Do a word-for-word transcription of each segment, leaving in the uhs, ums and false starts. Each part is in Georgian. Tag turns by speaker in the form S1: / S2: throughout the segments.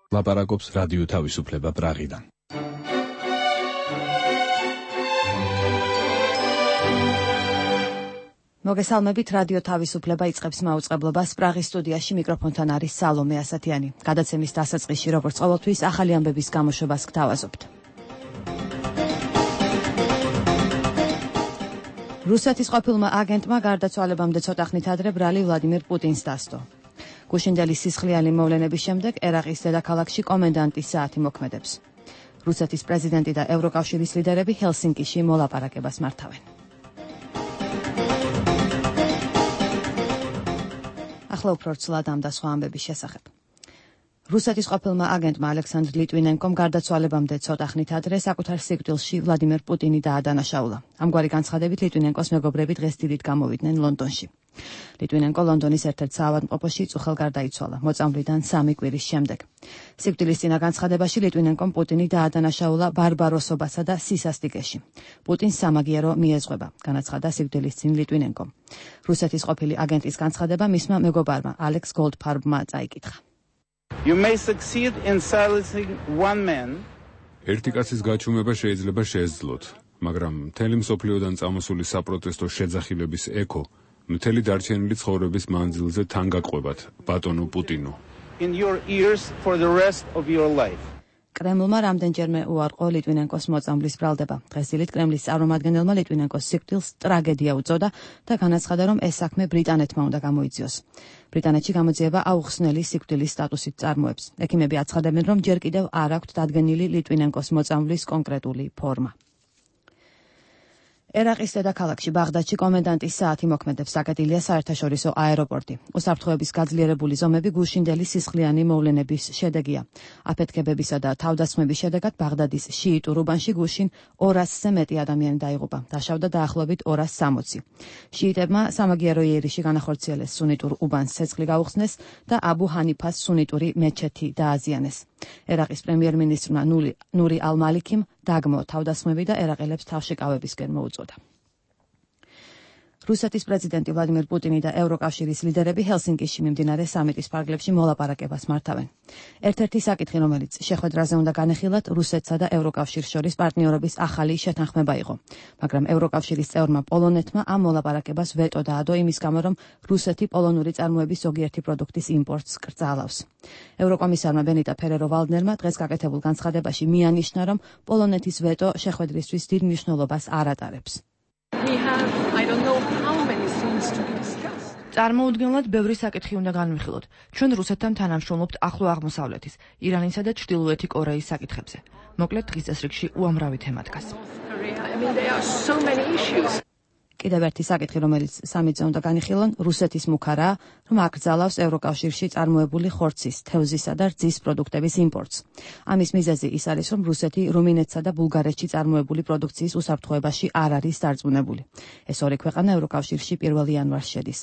S1: ლაპარაკობს რადიო თავისუფლება პრაღიდან.
S2: მოგესალმებით, რადიო თავისუფლება იწყებს მაუწყებლობას. პრაღის სტუდიაში მიკროფონთან არის სალომე ასათიანი. გადაცემის დასაწყისში, როგორც ყოველთვის, ახალი ამბების გამოშვებას გთავაზობთ. რუსეთის ყოფილმა აგენტმა გარდაცვალებამდე ცოტა ხნით ადრე ბრალი ვლადიმერ პუტინს დასდო. გუშინდელი სისხლიანი მოვლენების შემდეგ ერაყის დედაქალაქში კომენდანტის საათი მოქმედებს. რუსეთის პრეზიდენტი და ევროკავშირის ლიდერები ჰელსინკიში მოლაპარაკებას მართავენ. ახლა უფრო რცლად ამ და სხვა ამბების შესახებ. რუსეთის ყოფილმა აგენტმა ალექსანდრ ლიტვინენკომ გარდაცვალებამდე ცოტა ხნით ადრე საკუთარ სიკვდილში ვლადიმერ პუტინი დაადანაშაულა. ამგვარი განცხადებით ლიტვინენკოს მეგობრები დღეს დილით გამოვიდნენ ლონდონში. ლიტვინენკო ლონდონის ერთ-ერთ საავადმყოფოში წუხელ გარდაიცვალა მოწამვლიდან სამი კვირის შემდეგ. სიკვდილის წინა განცხადებაში ლიტვინენკომ პუტინი დაადანაშაულა ბარბაროსობასა და სისასტიკეში. პუტინს სამაგიერო მიეზღვება, განაცხადა სიკვდილის წინ ლიტვინენკომ. რუსეთის ყოფილი აგენტის განცხადება მისმა მეგობარმა ალექს გოლდფარბმა წაიკითხა.
S3: You may succeed in silencing one man.
S4: ერთი კაცის გაჩუმება შეიძლება შეეძლოთ, მაგრამ მთელი მსოფლიოდან წამოსული საპროტესტო შეძახილების ექო მთელი დარჩენილი ცხოვრების მანძილზე თან გაყვებათ, ბატონო პუტინო.
S3: In your ears for the rest of your life.
S2: კრემლმა რამდენჯერმე უარყო ლიტვინენკოს მოწამვლის ბრალდება. დღესდღეობით კრემლის წარმომადგენელმა ლიტვინენკოს სიკვდილს ტრაგედია უწოდა და განაცხადა, რომ ეს საქმე ბრიტანეთმა უნდა გამოიძიოს. ბრიტანეთში გამოძიება აუხსნელი სიკვდილის სტატუსით წარმოებს. ექიმები აცხადებენ, რომ ჯერ კიდევ არ აქვთ დადგენილი ლიტვინენკოს მოწამვლის კონკრეტული ფორმა. ერაყის დედაქალაქში ბაღდადში კომენდანტის საათი მოქმედებს. საკეთილია საერთაშორისო აეროპორტი. უსაფრთხოების გაძლიერებული ზომები გუშინდელი სისხლიანი მოვლენების შედეგია. აფეთქებებისა და თავდასხმების შედეგად ბაღდადის შიიტურ უბანში გუშინ ორასზე მეტი ადამიანი დაიღუპა. დაშავდა დაახლოებით ორას სამოცი. შიიტებმა სამაგიერო იერიში განახორციელეს სუნიტურ უბანს ცეცხლი გაუხსნეს და აბუ ჰანიფას სუნიტური მეჩეთი დააზიანეს. ერაყის პრემიერ-მინისტრმა ნური ალ-მალიქიმ დაგმო თავდასხმები და ერაყელებს თავშეკავებისკენ მოუწოდა. რუსეთის პრეზიდენტი ვლადიმერ პუტინი და ევროკავშირის ლიდერები ჰელსინკიში მიმდინარე სამიტის ფარგლებში მოლაპარაკებას მართავენ. ერთ-ერთი საკითხი, რომელიც შეხვედრაზე უნდა განეხილათ, რუსეთსა და ევროკავშირს შორის პარტნიორობის ახალი შეთანხმება იყო, მაგრამ ევროკავშირის წევრმა პოლონეთმა ამ მოლაპარაკებას ვეტო დაადო იმის გამო, რომ რუსეთი პოლონური წარმოების ზოგიერთი პროდუქტის იმპორტს კრძალავს. ევროკომისარმა ბენიტა ფერერო-ვალდნერმა დღეს გაკეთებულ განცხადებაში მიანიშნა, რომ პოლონეთის ვეტო შეხვედრისთვის დიდ მნიშვნელობას არ ატარებს.
S5: We have, I don't know how many things to discuss.
S6: წარმოუდგენლად ბევრი საკითხი უნდა განვიხილოთ. ჩვენ რუსეთთან თანამშრომლობთ ახლო აღმოსავლეთის, ირანისა და ჩრდილოეთი კორეის საკითხებზე. მოკლედ დღის წესრიგში უამრავი თემა დგას.
S5: I mean, there are so many issues.
S2: კიდევ ერთი საკითხი, რომელიც სამიტზე უნდა განიხილონ, რუსეთის მუქარაა, რომ აკრძალავს ევროკავშირში წარმოებული ხორცის, თევზისა და რძის პროდუქტების იმპორტს. ამის მიზეზი ის არის, რომ რუსეთი რუმინეთსა და ბულგარეთში წარმოებული პროდუქციის უსაფრთხოებაში არ არის დარწმუნებული. ეს ორი ქვეყანა ევროკავშირში პირველი იანვარს შედის.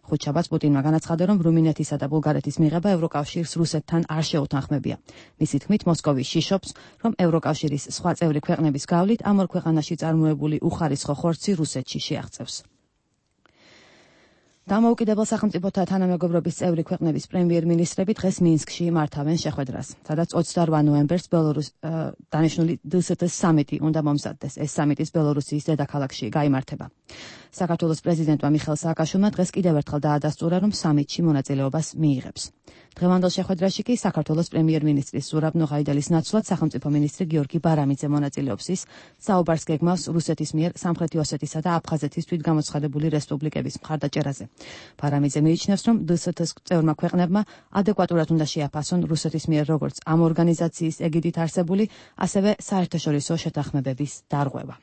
S2: ხუთშაბათს პუტინმა განაცხადა, რომ რუმინეთისა და ბულგარეთის მიღება ევროკავშირს რუსეთთან არ შეუთანხმებია. მისი თქმით, მოსკოვი შიშობს, რომ ევროკავშირის სხვა წევრი ქვეყნების გავლით ამ ორ ქვეყანაში წარმოებული უხარისხო ხორცი რუსეთში აღწევს. დამოუკიდებელ სახელმწიფოთა თანამეგობრობის წევრი ქვეყნების პრემიერ-მინისტრები დღეს მინსკში მართავენ შეხვედრას, სადაც ოცდაორ ნოემბერს ბელორუს დანიშნული დე ეს ეტ-ის სამიტი უნდა მომზადდეს. ეს სამიტის ბელორუსიის დედაქალაქში გაიმართება. საქართველოს პრეზიდენტმა მიხეილ სააკაშვილმა დღეს კიდევ ერთხელ დაადასტურა, რომ სამიტში მონაწილეობას მიიღებს. დღევანდელ შეხვედრაში კი საქართველოს პრემიერ-მინისტრის ზურაბ ნოღაიდელის ნაცვლად სახელმწიფო მინისტრი გიორგი ბარამიძე მონაწილეობს. ის საუბარს გეგმავს რუსეთის მიერ სამხრეთი ოსეთისა და აფხაზეთის თვითგამოცხადებული რესპუბლიკების მხარდაჭერაზე. ბარამიძე მიიჩნევს, რომ დე ეს ეტ-ის წევრმა ქვეყნებმა ადეკვატურად უნდა შეაფასონ რუსეთის მიერ როგორც ამ ორგანიზაციის ეგიდით არსებული, ასევე საერთაშორისო შეთანხმებების დარღვევა.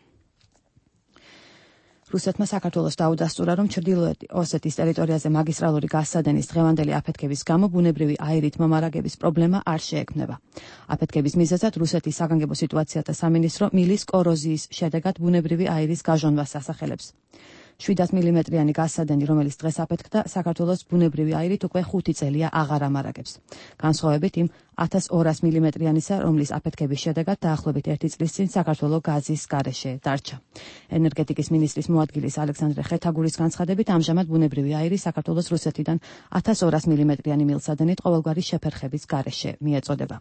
S2: რუსეთმა საქართველოს დაუდასტურა, რომ ჩრდილოეთი ოსეთის ტერიტორიაზე მაგისტრალური გაზსადენის დღევანდელი აფეთქების გამო ბუნებრივი აირით მომარაგების პრობლემა არ შეექმნება. აფეთქების მიზეზად რუსეთის საგანგებო სიტუაციათა სამინისტრო მილის კოროზიის შედეგად ბუნებრივი აირის გაჟონვას ასახელებს. შვიდას მილიმეტრიანი გაზსადენი, რომელიც დღეს აფეთქდა, საქართველოს ბუნებრივი აირით უკვე ხუთი წელია აღარ ამარაგებს. განსხვავებით იმ ათას ორას მილიმეტრიანისა, რომლის აფეთქების შედეგად დაახლოებით ერთი წლის წინ საქართველოს გაზის გარეშე დარჩა. ენერგეტიკის მინისტრის მოადგილის ალექსანდრე ხეთაგურის განცხადებით, ამჟამად ბუნებრივი აირი საქართველოს რუსეთიდან ათას ორას მილიმეტრიანი მილსადენით ყოველგვარი შეფერხების გარეშე მიეწოდება.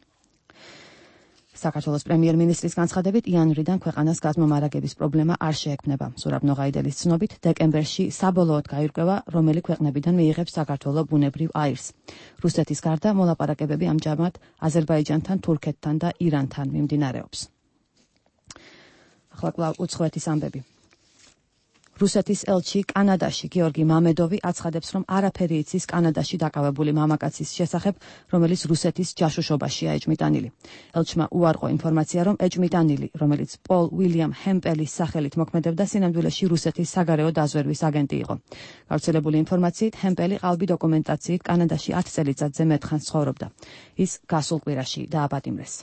S2: საქართველოს პრემიერ-მინისტრის განცხადებით, იანვრიდან ქვეყანას გაზმომარაგების პრობლემა არ შეექმნება. ზურაბ ნოღაიდელის ცნობით, დეკემბერში საბოლოოდ გაირკვევა, რომელი ქვეყნებიდან მიიღებს საქართველო ბუნებრივ აირს. რუსეთის გარდა მოლაპარაკებები ამჟამად აზერბაიჯანთან, თურქეთთან და ირანთან მიმდინარეობს. ახლა კვლავ უცხოეთის ამბები. რუსეთის ელჩი კანადაში გიორგი მამედოვი აცხადებს, რომ არაფერი იცის კანადაში დაკავებული მამაკაცის შესახებ, რომელიც რუსეთის ჯაშუშობაშია ეჭმიტანილი. ელჩმა უარყო ინფორმაცია, რომ ეჭმიტანილი, რომელიც პოლ უილიამ ჰემპელის სახელით მოქმედებდა, სინამდვილეში რუსეთის საგარეო დაზვერვის აგენტი იყო. გავრცელებული ინფორმაციით, ჰემპელი ყალბი დოკუმენტაციით კანადაში ათ წელიწადზე მეტხანს ცხოვრობდა. ის გასულ კვირაში დააპატიმრეს.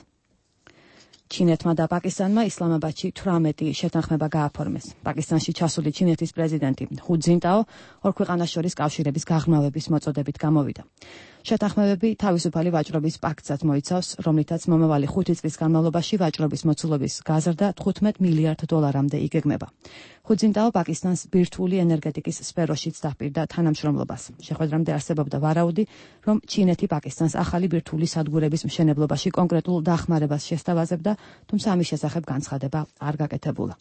S2: ჩინეთმა და პაკისტანმა ისლამაბადში თვრამეტი შეთანხმება გააფორმეს. პაკისტანში ჩასული ჩინეთის პრეზიდენტი ჰუ ძინტაო ორ ქვეყანას შორის კავშირების გაღრმავების მოწოდებით გამოვიდა. შეთანხმებები თავისუფალი ვაჭრობის პაქტსაც მოიცავს, რომლითაც მომავალი ხუთი წლის განმავლობაში ვაჭრობის მოცულობის გაზრდა თხუთმეტ მილიარდ დოლარამდე იგეგმება. ჰუ ძინტაო პაკისტანს ბირთვული ენერგეტიკის სფეროშიც დაპირდა თანამშრომლობას. შეხვედრამდე არსებობდა ვარაუდი, რომ ჩინეთი პაკისტანს ახალი ბირთვული სადგურების მშენებლობაში კონკრეტულ დახმარებას შესთავაზებდა, თუმცა ამის შესახებ განცხადება არ გაკეთებულა.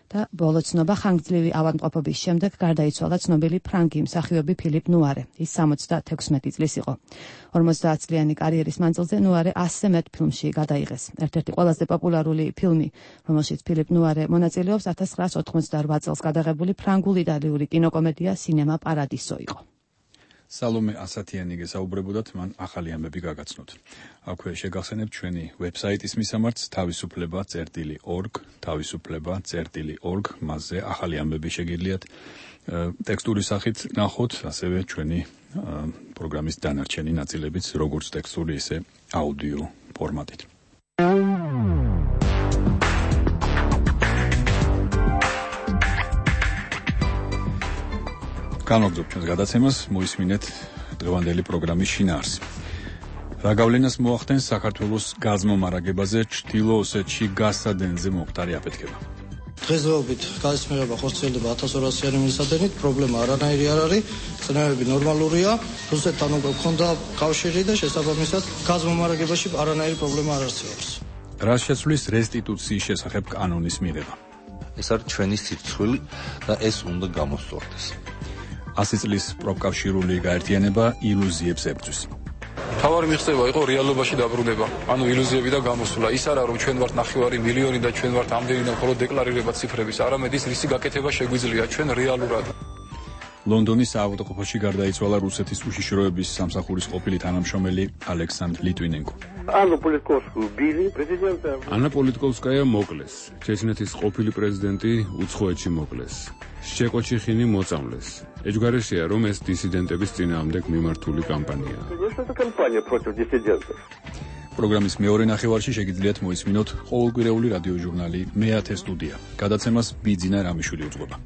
S2: და ბოლო ცნობა, ხანგრძლივი ავადმყოფობის შემდეგ გარდაიცვალა ცნობილი ფრანგი მსახიობი ფილიპ ნუარე. ის სამოცდათექვსმეტი წლის იყო. ორმოცდაათწლიანი კარიერის მანძილზე ნუარე ასზე მეტ ფილმში გადაიღეს. ერთ-ერთი ყველაზე პოპულარული ფილმი, რომელშიც ფილიპ ნუარე მონაწილეობს, ათას ცხრაას ოთხმოცდაორ წელს გადაღებული ფრანგული იტალიური კინოკომედია სინემა პარადისო იყო.
S1: სალომე ასათიანი გესაუბრებოდათ, მან ახალი ამბები გაგაცნოთ. აქვე შეგახსენებთ ჩვენი ვებსაიტის მისამართს თავისუფლება წერტილი ორგ, თავისუფლება წერტილი ორგ, მასზე ახალი ამბები შეგიძლიათ ტექსტური სახით ნახოთ, ასევე ჩვენი პროგრამის დანარჩენი ნაწილებიც, როგორც ტექსტური, ისე აუდიო ფორმატით. განვაგრძობთ ჩვენს გადაცემას, მოისმინეთ დღევანდელი პროგრამის შინაარსი. რა გავლენას მოახდენს საქართველოს გაზმომარაგებაზე ჩრდილო ოსეთში გაზსადენზე მომხდარი აფეთქება?
S7: დღესდღეობით გაზის მიღება ხორციელდება ათას ორასიანი მილსადენით, პრობლემა არანაირი არ არის, წნევები ნორმალურია, რუსეთთან უკვე გქონდა კავშირი და შესაბამისად გაზმომარაგებაში არანაირი პრობლემა არ არსებობს.
S1: რა შეცვლის რესტიტუციის შესახებ კანონის მიღება?
S8: ეს არის ჩვენი სიცხვილი და ეს უნდა გამოსწორდეს.
S1: ასი წლის პროფკავშირული გაერთიანება ილუზიებს ებრძვის.
S9: თავარი მიღწევა იყო რეალობაში დაბრუნება, ანუ ილუზიები და გამოსვლა. ის არა რომ ჩვენ ვართ ნახევარი მილიონი და ჩვენ ვართ ამდენი და მხოლოდ დეკლარირება ციფრების, არამედ ის რისი გაკეთება შეგვიძლია ჩვენ რეალურად.
S1: ლონდონის საავადმყოფოში გარდაიცვალა რუსეთის უშიშროების სამსახურის ყოფილი თანამშრომელი ალექსანდრ ლიტვინენკო.
S3: ანა პოლიტკოვსკუ ბილი პრეზიდენტი.
S4: ანა პოლიტკოვსკაია მოკლეს. ჩეჩნეთის ყოფილი პრეზიდენტი უცხოეთში მოკლეს. შეკოჩიხინი მოწამლეს. ეჯგარეშია, რომ ეს დისიდენტების წინააღმდეგ მიმართული კამპანიაა.
S3: ეს კამპანია პროტив დისიდენტов.
S1: პროგრამის მეორე ნახევარში შეგიძლიათ მოისმინოთ ყოველკვირეული რადიო ჟურნალი მეათე სტუდია. გადაცემას ბიძინა რამიშვილი უძღვება.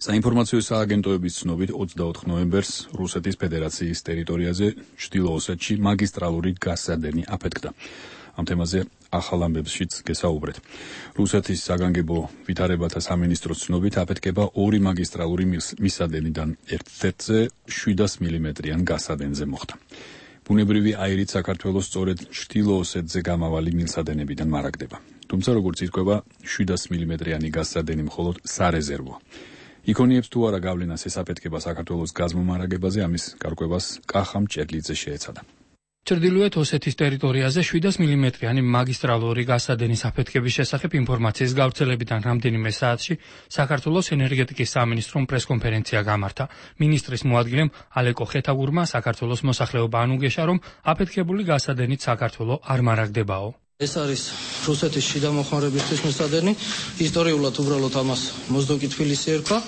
S1: საინფორმაციო სააგენტოების ცნობით ოცდაოთხ ნოემბერს რუსეთის ფედერაციის ტერიტორიაზე ჩრდილო ოსეთში მაგისტრალური გაზსადენი აფეთქდა. ამ თემაზე ახალ ამბებშიც გესაუბრეთ. რუსეთის საგანგებო ვითარებათა სამინისტროს ცნობით აფეთქება ორი მაგისტრალური მისადენიდან ერთ-ერთზე შვიდას მილიმეტრიან გაზსადენზე მოხდა. ბუნებრივი აირით საქართველოს სწორედ ჩრდილო ოსეთზე გამავალი მილსადენებიდან მარაგდება. თუმცა როგორც ირკვევა, შვიდას მილიმეტრიანი გაზსადენი მხოლოდ სარეზერვოა. იქონიებს თუ არა გავლენას ეს აფეთქება საქართველოს გაზმომარაგებაზე, ამის გარკვევას კახა მჭედლიძე შეეცადა.
S10: ჩრდილოეთ ოსეთის ტერიტორიაზე შვიდას მილიმეტრიანი მაგისტრალური გაზსადენის აფეთქების შესახებ ინფორმაციის გავრცელებიდან რამდენიმე საათში საქართველოს ენერგეტიკის სამინისტრომ პრესკონფერენცია გამართა. მინისტრის მოადგილემ ალეკო ხეთაგურმა საქართველოს მოსახლეობა ანუგეშა, რომ აფეთქებული გაზსადენით საქართველო არ მარაგდებაო.
S7: ეს არის რუსეთის შიდა მოხმარებისთვის მისადენი. ისტორიულად უბრალოდ ამას მოზდოკი თბილისი ერქვა.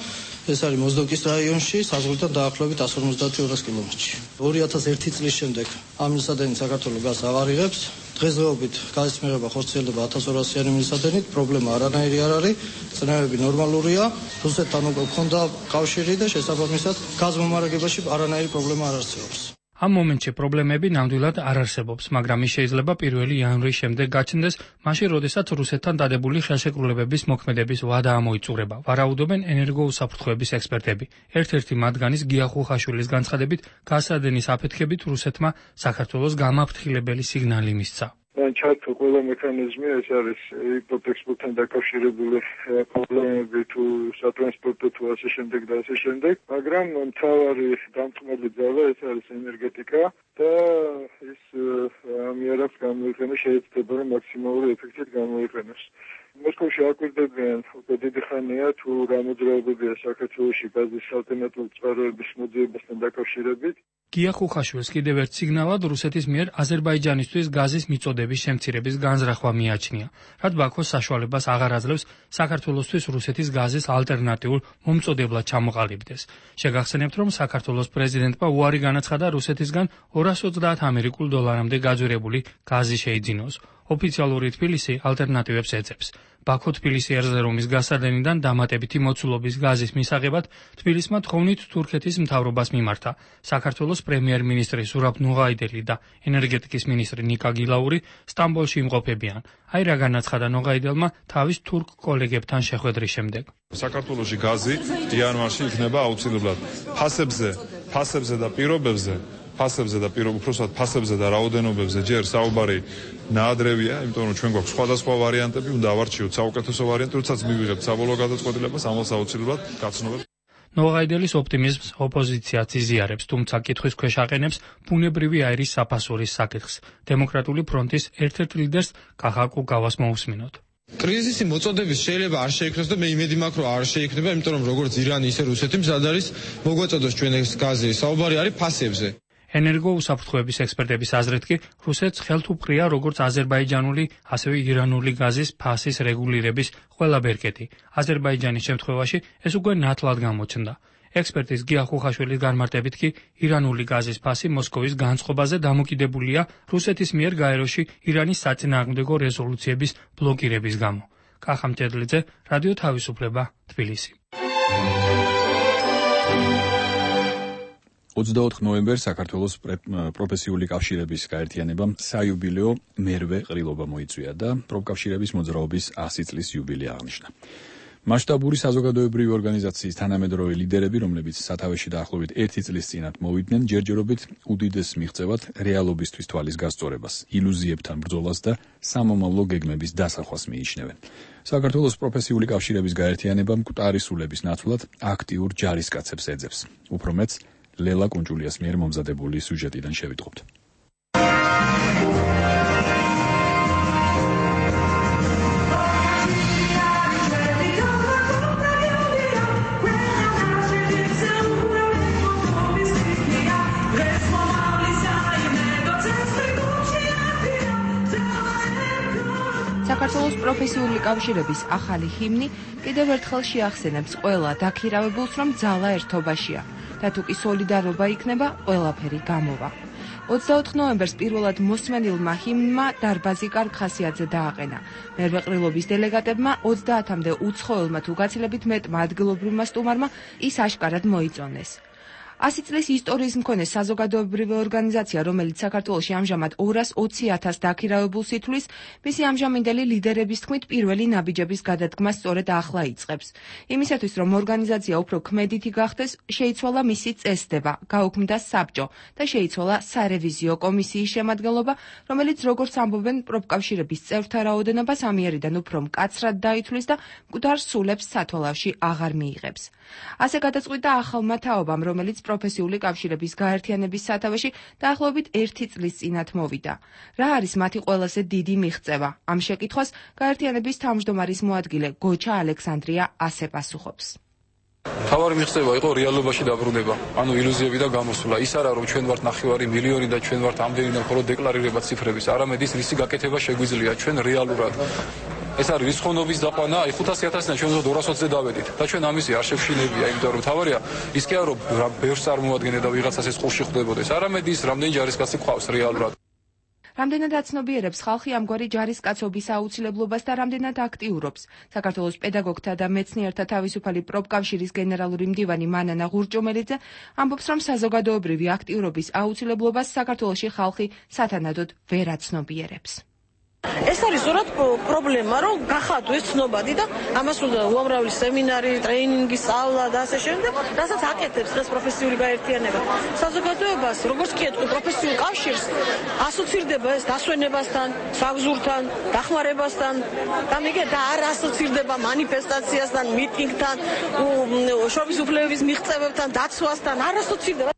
S7: ეს არის მოზდოკის რაიონში, საზღვრიდან დაახლოებით εκατს ორმოცდაათი ორასი კილომეტრში. ორი ათას ერთი წლის შემდეგ ამ მილსადენი საქართველოს გაზს აღარ იღებს. დღესდღეობით გაზის მიღება ხორციელდება ათას ორასიანი მილსადენით, პრობლემა არანაირი არ არის, წნევები ნორმალურია, რუსეთთან უკვე ჰქონდა კავშირი და შესაბამისად გაზ მომარაგებაში არანაირი პრობლემა არ არსებობს.
S10: ამ მომენტში პრობლემები ნამდვილად არ არსებობს, მაგრამ ის შეიძლება პირველი იანვრის შემდეგ გაჩნდეს, მაშინ, როდესაც რუსეთთან დადებული ხელშეკრულებების მოქმედების ვადა ამოიწურება. ვარაუდობენ ენერგოუსაფრთხოების ექსპერტები. ერთ-ერთი მათგანის გია ხუხაშვილის განცხადებით, გაზსადენის აფეთქებით რუსეთმა საქართველოს გამაფრთხილებელი სიგნალი მისცა.
S11: ჩართო ყველა მექანიზმი, ეს არის იპოტექსპორტთან დაკავშირებული პრობლემები თუ სატრანსპორტო თუ ასე შემდეგ და ასე შემდეგ, მაგრამ მთავარი დამწყმელი ძალა ეს არის ენერგეტიკა და ის ამიერებს გამოიყენოს, შეიძლება რომ მაქსიმალური ეფექტით გამოიყენოს. მოსკოვში აკვირდებიან უკვე დიდი ხანია თუ რა მოძრაობებია საქართველოში გაზის ალტერნატიული წყაროების მოძიებასთან დაკავშირებით.
S10: გია ხუხაშვილს კიდევ ერთ სიგნალად რუსეთის მიერ აზერბაიჯანისთვის გაზის მიწოდების შემცირების განზრახვა მიაჩნია, რაც ბაქოს საშუალებას აღარ აძლევს საქართველოსთვის რუსეთის გაზის ალტერნატიულ მომწოდებლად ჩამოყალიბდეს. შეგახსენებთ, რომ საქართველოს პრეზიდენტმა უარი განაცხადა რუსეთისგან ორას ოცდაათ ამერიკულ დოლარამდე გაძვირებული გაზი შეიძინოს. ოფიციალური თბილისი ალტერნატივებს ეძებს. ბაქო-თბილისი ერზერუმის გაზსადენიდან დამატებითი მოცულობის გაზის მისაღებად თბილისმა თხოვნით თურქეთის მთავრობას მიმართა. საქართველოს პრემიერ-მინისტრი ზურაბ ნოღაიდელი და ენერგეტიკის მინისტრი ნიკა გილაური სტამბოლში იმყოფებიან. აი რა განაცხადა ნოღაიდელმა თავის თურქ კოლეგებთან შეხვედრის შემდეგ.
S12: საქართველოში გაზი იანვარში იქნება აუცილებლად ფასებზე, ფასებზე და პირობებზე ფასებზე და უпроსტად ფასებზე და რაოდენობებზე ჯერ საუბარი ნაადრევია, იმიტომ რომ ჩვენ გვაქვს სხვადასხვა ვარიანტები, უნდა ავარჩიოთ საუკეთესო ვარიანტი, როდესაც მივიღებთ საბოლოო გადაწყვეტილებას, ამას აუცილებლად გაცნობებს.
S10: ნოღაიდელის ოპტიმიზმს ოპოზიციაც იზიარებს, თუმცა კითხვის ქვეშ აყენებს ბუნებრივი აირის საფასურის საკითხს. დემოკრატიული ფრონტის ერთ-ერთ ლიდერს კახა კუკავას მოусმინოთ.
S13: კრიზისი მოწოდების შეიძლება არ შეიქმნას და მე იმედი მაქვს, რომ არ შეიქმნება, იმიტომ რომ როგორც ირანი, ისე რუსეთი მზად არის მოგვაწოდოს ჩვენ ეს გაზი. საუბარი არის ფასებზე.
S10: ენერგოუსაფრთხოების ექსპერტების აზრით კი რუსეთს ხელთ უყრია როგორც აზერბაიჯანული, ასევე ირანული გაზის ფასის რეგულირების ყველა ბერკეტი. აზერბაიჯანის შემთხვევაში ეს უკვე ნათლად გამოჩნდა. ექსპერტის გია ხუხაშვილის განმარტებით კი ირანული გაზის ფასი მოსკოვის განწყობაზე დამოკიდებულია რუსეთის მიერ გაეროში ირანის საწინააღმდეგო რეზოლუციების ბლოკირების გამო. კახა მჭედლიძე, რადიო თავისუფლება, თბილისი.
S1: ოცდაოთხ ნოემბერს საქართველოს პროფესიული კავშირების გაერთიანებამ საიუბილეო მერვე ყრილობა მოიწვია და პროფკავშირების მოძრაობის ასი წლის იუბილე აღნიშნა. მასშტაბური საზოგადოებრივი ორგანიზაციის თანამედროვე ლიდერები, რომლებიც სათავეში დაახლოებით ერთი წლის წინათ მოვიდნენ, ჯერჯერობით უდიდეს მიღწევად რეალობისთვის თვალის გასწორებას, ილუზიებთან ბრძოლას და სამომავლო გეგმების დასახვას მიიჩნევენ. საქართველოს პროფესიული კავშირების გაერთიანება მკვდარი სულების ნაცვლად აქტიურ ჯარისკაცებს ეძებს. უფრო მეც ლელა კუნჭულიას მიერ მომზადებული სიუჟეტიდან შევიტყობთ.
S6: საქართველოს პროფესიული კავშირების ახალი ჰიმნი კიდევ ერთხელ შეახსენებს ყველა დაქირავებულს, რომ ძალა ერთობაშია და თუ კი სოლიდარობა იქნება, ყველაფერი გამოვა. ოცდაოთხ ნოემბერს პირველად მოსმენილმა ჰიმნმა დარბაზი კარგხასიათზე დააყენა. მერვე ყრილობის დელეგატებმა ოცდაათამდე უცხოელმა თუ გაცილებით მეტმა ადგილობრივმა სტუმარმა ის აშკარად მოიწონეს. ასი წლის ისტორიის მქონე საზოგადოებრივი ორგანიზაცია, რომელიც საქართველოში ამჟამად ორას ოცი ათას დაქირავებულს ითვლის, მისი ამჟამინდელი ლიდერების თქმით პირველი ნაბიჯების გადადგმა სწორედ ახლა იწყებს. იმისათვის, რომ ორგანიზაცია უფრო ქმედითი გახდეს, შეიცვალა მისი წესდება, გაუქმდა საბჭო და შეიცვალა სარევიზიო კომისიის შემადგენლობა, რომელიც როგორც ამბობენ პროფკავშირების წევრთა რაოდენობას ამიერიდან უფრო მკაცრად დაითვლის და მკვდარ სულებს სათვალავში აღარ მიიღებს. ასე გადაწყვიტა ახალმა თაობამ, რომელიც პროფესიული კავშირების გაერთიანების სათავეში დაახლოებით ერთი წლის წინათ მოვიდა. რა არის მათი ყველაზე დიდი მიღწევა? ამ შეკითხვას გაერთიანების თავმჯდომარის მოადგილე გოჩა ალექსანდრია ასე პასუხობს.
S9: თავარი მიღწევა იყო რეალობაში დაბრუნება, ანუ ილუზიები და გამოსვლა. ის არა რომ ჩვენ ვართ ნახევარი მილიონი და ჩვენ ვართ ამდენი და მხოლოდ დეკლარირება ციფრების, არამედ ის რისი გაკეთება შეგვიძლია ჩვენ რეალურად ეს არის რისხოვნობის დაყვანა, აი ხუთასი ათასიდან ჩვენ ზოგადად ორას ოცზე დავედით და ჩვენ ამისი არ შევშინებია, იმიტომ რომ თავარია ის კი არა რომ ბევრს წარმოადგენდა და ვიღაცას ეს ყურში ხვდებოდეს, არამედ ის რამდენი ჯარისკაცი ყავს რეალურად.
S6: რამდენად აცნობიერებს ხალხი ამგვარი ჯარისკაცობის აუცილებლობას და რამდენად აქტიურობს. საქართველოს პედაგოგთა და მეცნიერთა თავისუფალი პროფკავშირის გენერალური მდივანი მანანა ღურჭომელიძე ამბობს, რომ საზოგადოებრივი აქტიურობის აუცილებლობას საქართველოში ხალხი სათანადოდ ვერ აცნობიერებს.
S14: ეს არის ზოგადად პრობლემა, რომ გახადო ეს ცნობადი და ამას უნდა უამრავი სემინარი, ტრეინინგი, სწავლა და ასე შემდეგ, რასაც აკეთებს დღეს პროფესიული გაერთიანება. საზოგადოებას, როგორც კი ეთქვი პროფესიულ კავშირს, ასოცირდება ეს დასვენებასთან, საგზურთან, დახმარებასთან, და მიგე და არ ასოცირდება მანიფესტაციასთან, მიტინგთან, შრომის უფლებების მიღწევებთან, დაცვასთან, არ ასოცირდება.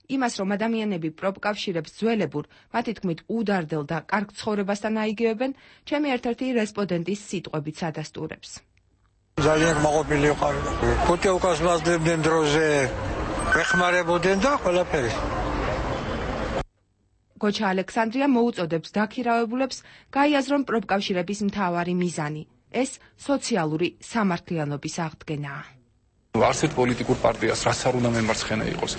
S6: იმას, რომ ადამიანები პროფკავშირებს ძველებურ, მათი თქმით უდარდელ და კარგ ცხოვრებასთან აიგივებენ, ჩემი ერთ-ერთი რესპონდენტის სიტყვებით ადასტურებს.
S15: ძალიან მოყოლილი ვიყავ. პუტიოვკას მასდებდნენ დროზე, ეხმარებოდნენ და ყველაფერი.
S6: გოჩა ალექსანდრია მოუწოდებს დაქირავებულებს გაიაზრონ პროფკავშირების მთავარი მიზანი. ეს სოციალური სამართლიანობის აღდგენაა.
S9: არც ერთ პოლიტიკურ პარტიას რაც არ უნდა მემარცხენე იყოს,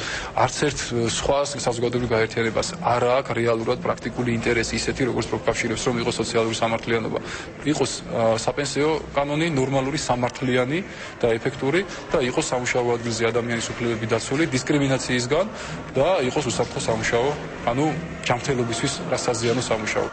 S9: არც ერთ სხვა საზოგადოებრივ გაერთიანებას არ აქვს რეალურად პრაქტიკული ინტერესი ისეთი, როგორც პროფკავშირებს, რომ იყოს სოციალური სამართლიანობა, იყოს საპენსიო კანონი ნორმალური, სამართლიანი და ეფექტური და იყოს სამუშაო ადგილზე ადამიანის უფლებები დაცული დისკრიმინაციისგან და იყოს უსაფრთხო სამუშაო, ანუ ჯანმრთელობისთვის რასაზიანო სამუშაო.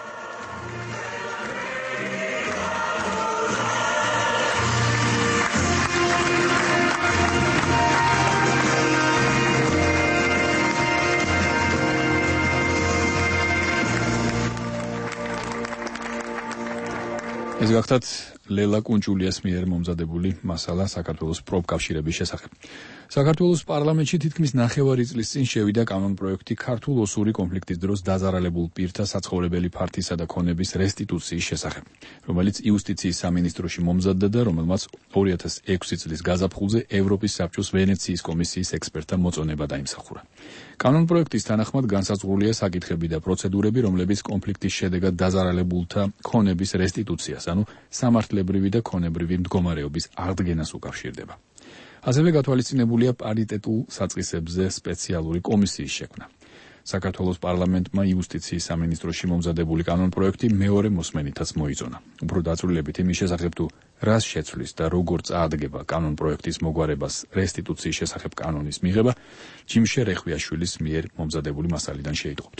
S1: ეს გახდათ ლელა კუნჭულიას მიერ მომზადებული მასალა საქართველოს პროფკავშირების შესახებ. საქართველოს პარლამენტში თითქმის ნახევარი წლის წინ შევიდა კანონპროექტი ქართულ-ოსური კონფლიქტის დროს დაზარალებულ პირთა საცხოვრებელი ფართისა და ქონების რესტიტუციის შესახებ, რომელიც იუსტიციის სამინისტროში მომზადდა და რომელმაც ორი ათას ექვსი წლის გაზაფხულზე ევროპის საბჭოს ვენეციის კომისიის ექსპერტთა მოწონება დაიმსახურა. კანონპროექტის თანახმად განსაზღვრულია საკითხები და პროცედურები, რომლებიც კონფლიქტის შედეგად დაზარალებულთა ქონების რესტიტუციას, ანუ სამართლებრივი და ქონებრივი მდგომარეობის აღდგენას უკავშირდება. ასევე გათვალისწინებულია პარიტეტულ საწყისებზე სპეციალური კომისიის შექმნა. საქართველოს პარლამენტმა იუსტიციის სამინისტროში მომზადებული კანონპროექტი მეორე მოსმენითაც მოიწონა. უფრო დაწვრილებით იმის შესახებ თუ რას შეცვლის და როგორ წაადგება კანონპროექტის მოგვარებას რესტიტუციის შესახებ კანონის მიღება, ჯიმშე რეხვიაშვილის მიერ მომზადებული მასალიდან შეიტყობთ.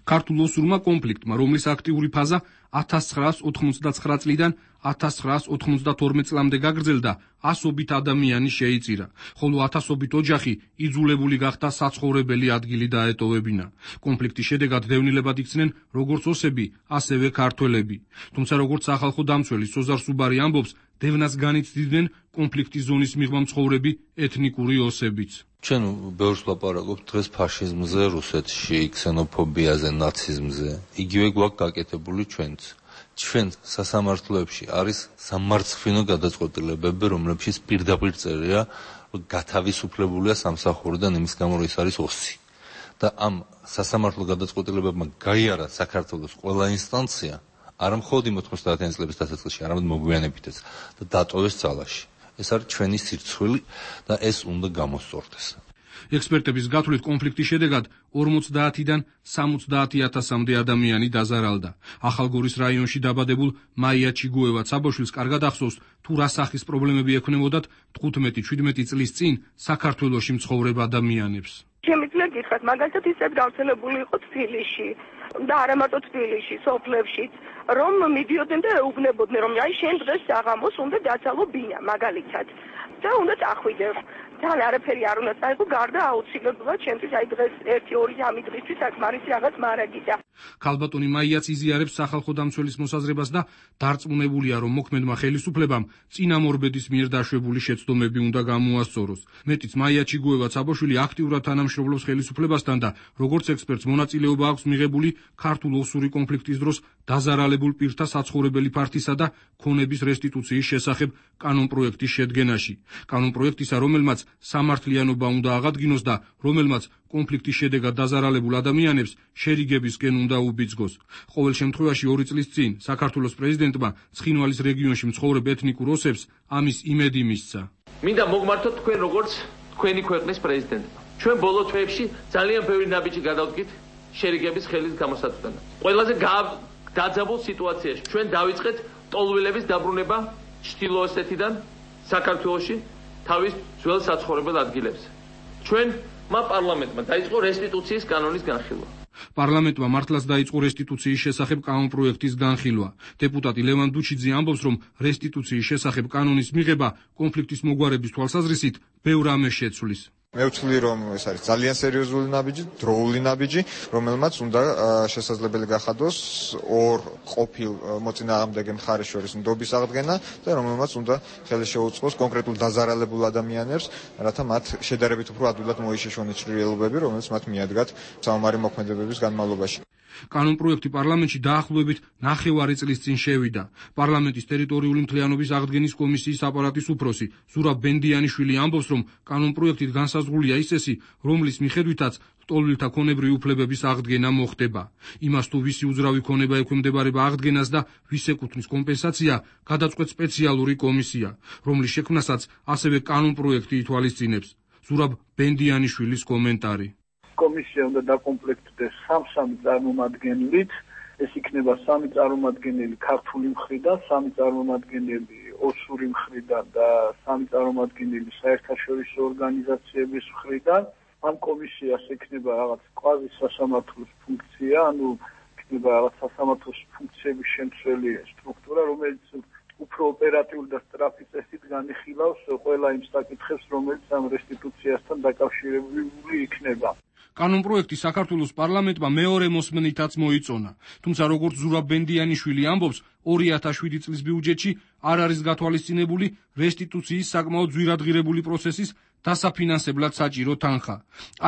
S16: ქართულ-ოსურმა კონფლიქტმა, რომლის აქტიური ფაზა ათას ცხრაას ოთხმოცდაცხრა წლიდან ათას ცხრაას ოთხმოცდათორმეტ წლამდე გაგრძელდა, ასობით ადამიანი შეიწირა, ხოლო ათასობით ოჯახი იძულებული გახდა საცხოვრებელი ადგილი დაეტოვებინა. კონფლიქტის შედეგად დევნილებად იქცნენ როგორც ოსები, ასევე ქართველები. თუმცა როგორც სახალხო დამცველი სოზარ სუბარი ამბობს, დევნას განიცდიდნენ კონფლიქტის ზონის მიღმა მცხოვრები ეთნიკური ოსებიც.
S8: ჩვენ ბევრს ვლაპარაკობთ დღეს ფაშიზმზე, რუსეთში, ქსენოფობიაზე, ნაციზმზე. იგივე გვაქვს გაკეთებული ჩვენც. ჩვენ სასამართლოებში არის სამარცხვინო გადაწყვეტილებები, რომლებშიც პირდაპირ წერია, რომ გათავისუფლებულია სამსახურიდან იმის გამო, რომ ის არის ოსი. და ამ სასამართლო გადაწყვეტილებებმა გაიარა საქართველოს ყველა ინსტანცია, არა მხოლოდ მოთხმოცდაათიანი წლების დასაწყისში, არამედ მოგვიანებითაც და დატოვეს ძალაში. ეს არის ჩვენი სირცხვილი და ეს უნდა გამოსწორდეს.
S16: ექსპერტების გათვლით კონფლიქტის შედეგად ორმოცდაათიდან სამოცდაათი ათასამდე ადამიანი დაზარალდა. ახალგორის რაიონში დაბადებულ მაია ჩიგუევაც აბოშვილს კარგად ახსოვს, თუ რა სახის პრობლემები ექნებოდათ თხუთმეტი შვიდმეტი წლის წინ საქართველოში მცხოვრებ ადამიანებს.
S17: შემიძლია გითხრათ, მაგალითად ისეთ გავრცელებული იყო თბილისში და არა მარტო თბილისში, სოფლებშიც, რომ მიდიოდნენ და ეუბნებოდნენ, რომ აი შენ დღეს საღამოს უნდა დაცალო ბინა, მაგალითად, და უნდა წახვიდე. თან არაფერი არ უნდა წაიღო, გარდა აუცილებლად ჩემთვის აი დღეს ერთი ორი სამი დღისთვის საკმარისი რაღაც მარაგია.
S16: ქალბატონი მაიაც იზიარებს სახალხო დამცველის მოსაზრებას და დარწმუნებულია, რომ მოქმედმა ხელისუფლებამ წინამორბედის მიერ დაშვებული შეცდომები უნდა გამოასწოროს. მეტიც მაია ჩიგუევა ცაბოშვილი აქტიურად თანამშრომლობს ხელისუფლებასთან და როგორც ექსპერტს მონაწილეობა აქვს მიღებული ქართულ-ოსური კონფლიქტის დროს დაზარალებულ პირთა საცხოვრებელი ფართისა და ქონების რესტიტუციის შესახებ კანონპროექტის შედგენაში. კანონპროექტისა, რომელმაც სამართლიანობა უნდა აღადგინოს და რომელმაც კონფლიქტის შედეგად დაზარალებულ ადამიანებს შერიგებისკენ უნდა უბიძგოს. ყოველ შემთხვევაში ორი წლის წინ საქართველოს პრეზიდენტმა ცხინვალის რეგიონში მცხოვრებ ეთნიკურ ოსებს ამის იმედი მისცა.
S18: მინდა მოგმართოთ თქვენ როგორც თქვენი ქვეყნის პრეზიდენტმა. ჩვენ ბოლო თვეებში ძალიან ბევრი ნაბიჯი გადავდგით შერიგების ხელის გამოსაცდელად. ყველაზე დაძაბულ სიტუაციაში ჩვენ დავიწყეთ ტოლვილების დაბრუნება ჩრდილო-ოსეთიდან საქართველოში თავის ძველ საცხოვრებელ ადგილებზე. ჩვენმა პარლამენტმა დაიწყო რესტიტუციის კანონის განხილვა.
S16: პარლამენტმა მართლაც დაიწყო რესტიტუციის შესახებ კანონპროექტის განხილვა. დეპუტატი ლევან დუჩიძე ამბობს, რომ რესტიტუციის შესახებ კანონის მიღება კონფლიქტის მოგვარების თვალსაზრისით ბევრ ამას შეცვლის.
S19: მე ვთვლი, რომ ეს არის ძალიან სერიოზული ნაბიჯი, დროული ნაბიჯი, რომელმაც უნდა შესაძლებელი გახადოს ორ ყოფილ მოწინააღმდეგე მხარეს შორის ნდობის აღდგენა და რომელმაც უნდა ხელი შეუწყოს კონკრეტულ დაზარალებულ ადამიანებს, რათა მათ შედარებით უფრო ადვილად მოიშეშონ ჭრილობები, რომელიც მათ მიადგათ საომარი მოქმედებების განმავლობაში.
S16: კანონპროექტი პარლამენტში დაახლოებით ნახევარი წლის წინ შევიდა. პარლამენტის ტერიტორიული მთლიანობის აღდგენის კომისიის აპარატის უფროსი ზურაბ ბენდიანიშვილი ამბობს, რომ კანონპროექტით განსაზღვრულია ის წესი, რომლის მიხედვითაც ლტოლვილთა ქონებრივი უფლებების აღდგენა მოხდება. იმას თუ ვისი უძრავი ქონება ექვემდებარება აღდგენას და ვის ეკუთვნის კომპენსაცია, გადაწყვეტს სპეციალური კომისია, რომლის შექმნასაც ასევე კანონპროექტი ითვალისწინებს. ზურაბ ბენდიანიშვილის კომენტარი.
S11: კომისია უნდა დაკომპლექტდეს სამ-სამი წარმომადგენლით, ეს იქნება სამი წარმომადგენელი ქართული მხრიდან, სამი წარმომადგენელი ოსური მხრიდან და სამი წარმომადგენელი საერთაშორისო ორგანიზაციების მხრიდან. ამ კომისიას ექნება რაღაც კვაზი სასამართლოს ფუნქცია, ანუ ექნება რაღაც სასამართლოს ფუნქციების შემცველი სტრუქტურა, რომელიც უფრო ოპერატიული და სწრაფი წესით განიხილავს ყველა იმ საკითხებს, რომელიც ამ რესტიტუციასთან დაკავშირებული იქნება.
S16: კანონპროექტი საქართველოს პარლამენტმა მეორე მოსმენითაც მოიწონა. თუმცა როგორც ზურაბ ბენდიანიშვილი ამბობს, ორი ათას შვიდი წლის ბიუჯეტში არ არის გათვალისწინებული რესტიტუციის საკმაოდ ძვირადღირებული პროცესის დასაფინანსებლად საჭირო თანხა.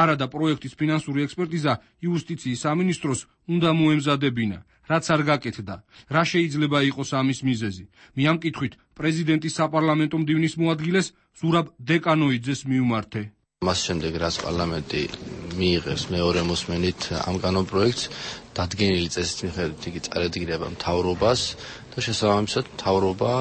S16: არადა პროექტის ფინანსური ექსპერტიზა იუსტიციის სამინისტროს უნდა მოემზადებინა, რაც არ გაკეთდა. რა შეიძლება იყოს ამის მიზეზი? მე ამ კითხვით პრეზიდენტის საპარლამენტო მდივნის მოადგილეს ზურაბ დეკანოიძეს მიუმართე.
S20: მას შემდეგ რაც პარლამენტი მიიღებს მეორე მოსმენით ამ კანონპროექტს, დადგენილი წესით მიხედვით იგი წარედგინება მთავრობას და შესაბამისად მთავრობა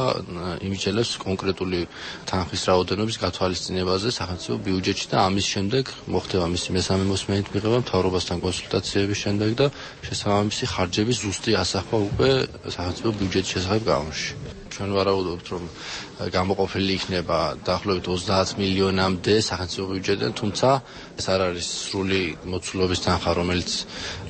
S20: იმიჯელებს კონკრეტული თანხის რაოდენობის გათვალისწინებაზე სახელმწიფო ბიუჯეტში და ამის შემდეგ მოხდება მისი მესამე მოსმენით მიღება მთავრობასთან კონსულტაციების შემდეგ და შესაბამისი ხარჯების ზუსტი ასახვა უკვე სახელმწიფო ბიუჯეტის შესახებ კანონში. ჩვენ ვარაუდობთ, რომ გამოყოფილი იქნება დაახლოებით ოცდაათ მილიონამდე სახელმწიფო ბიუჯეტიდან, თუმცა ეს არ არის სრული მოცულობის თანხა, რომელიც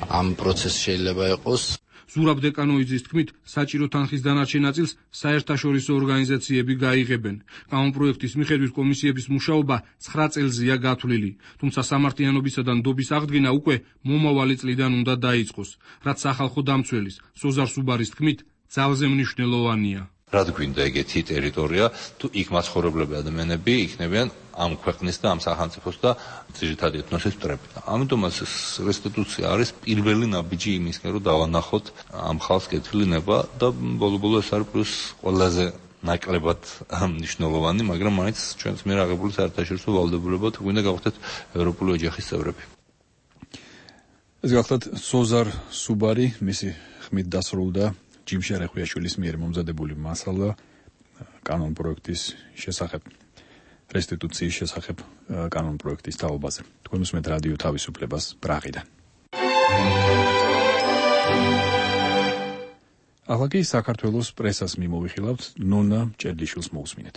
S20: ამ პროცესში შეიძლება იყოს.
S16: ზურაბ დეკანოიძის თქმით, საჭირო თანხის დანარჩენ ნაწილს საერთაშორისო ორგანიზაციები გაიღებენ. კანონპროექტის მიხედვით კომისიების მუშაობა ცხრა წელზეა გათვლილი, თუმცა სამართლიანობისა და ნდობის აღდგენა უკვე მომავალი წლიდან უნდა დაიწყოს, რაც სახალხო დამცველის სოზარ სუბარის თქმით ძალზე მნიშვნელოვანია.
S8: რად გვინდა ეგეთი ტერიტორია, თუ იქ მაცხოვრებლები ადამიანები იქნებიან ამ ქვეყნის და ამ სახელმწიფოს და ძირითადი ეთნოსის მტრები. ამიტომაც რესტიტუცია არის პირველი ნაბიჯი იმისკენ, რომ დავანახოთ ამ ხალხს კეთილინება და ბოლო-ბოლო ეს არის პლუს ყველაზე ნაკლებად მნიშვნელოვანი, მაგრამ მაინც ჩვენს მიერ აღებული საერთაშორისო ვალდებულებად გვინდა გავხდეთ ევროპული ოჯახის წევრები.
S1: ეს გახლავთ სოზარ სუბარი, მისი ხმით დასრულდა ჯიმშარ ეხვიაშვილის მიერ მომზადებული მასალა კანონპროექტის შესახებ, რესტიტუციის შესახებ კანონპროექტის თაობაზე. თქვენ უსმენთ რადიო თავისუფლებას პრაღიდან. ახლა კი საქართველოს პრესას მიმოვიხილავთ, ნონა ჭერდიშვილს მოусმინეთ.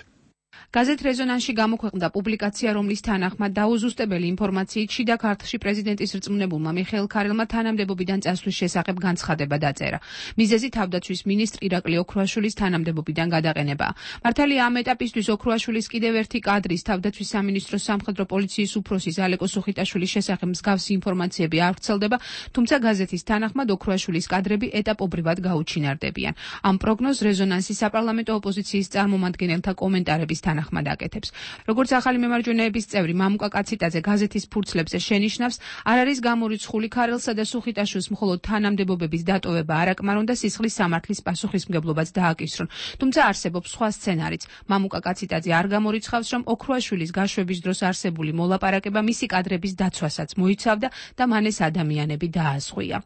S6: გაზეთ რეზონანსში გამოქვეყნდა პუბლიკაცია, რომლის თანახმად დაუზუსტებელი ინფორმაციით შიდა ქართლში პრეზიდენტის რწმუნებულმა მიხეილ ქარელმა თანამდებობიდან წასვლის შესახებ განცხადება დაწერა. მიზეზი თავდაცვის მინისტრ ირაკლი ოქრუაშვილის თანამდებობიდან გადაყენებაა. მართალია ამ ეტაპისთვის ოქრუაშვილის კიდევ ერთი კადრის თავდაცვის სამინისტროს სამხედრო პოლიციის უფროსის ალეკო სუხიტაშვილის შესახებ მსგავსი ინფორმაციები არ ვრცელდება, თუმცა გაზეთის თანახმად ოქრუაშვილის კადრები ეტაპობრივად გაუჩინარდებიან. ამ პროგნოზს რეზონანსის საპარლამენტო ოპოზიციის წარმომადგენელთა კომენტარების თანახმად თანახმად აკეთებს. როგორც ახალი მემარჯვენეების წევრი მამუკა კაციტაძე გაზეთის ფურცლებზე შენიშნავს, არ არის გამორიცხული ქარელსა და სუხიტაშვილს მხოლოდ თანამდებობების დატოვება არ აკმარონ და სისხლის სამართლის პასუხისმგებლობაც დააკისრონ. თუმცა არსებობს სხვა სცენარიც. მამუკა კაციტაძე არ გამორიცხავს, რომ ოქროაშვილის გაშვების დროს არსებული მოლაპარაკება მისი კადრების დაცვასაც მოიცავდა და მან ეს ადამიანები დაასხვია.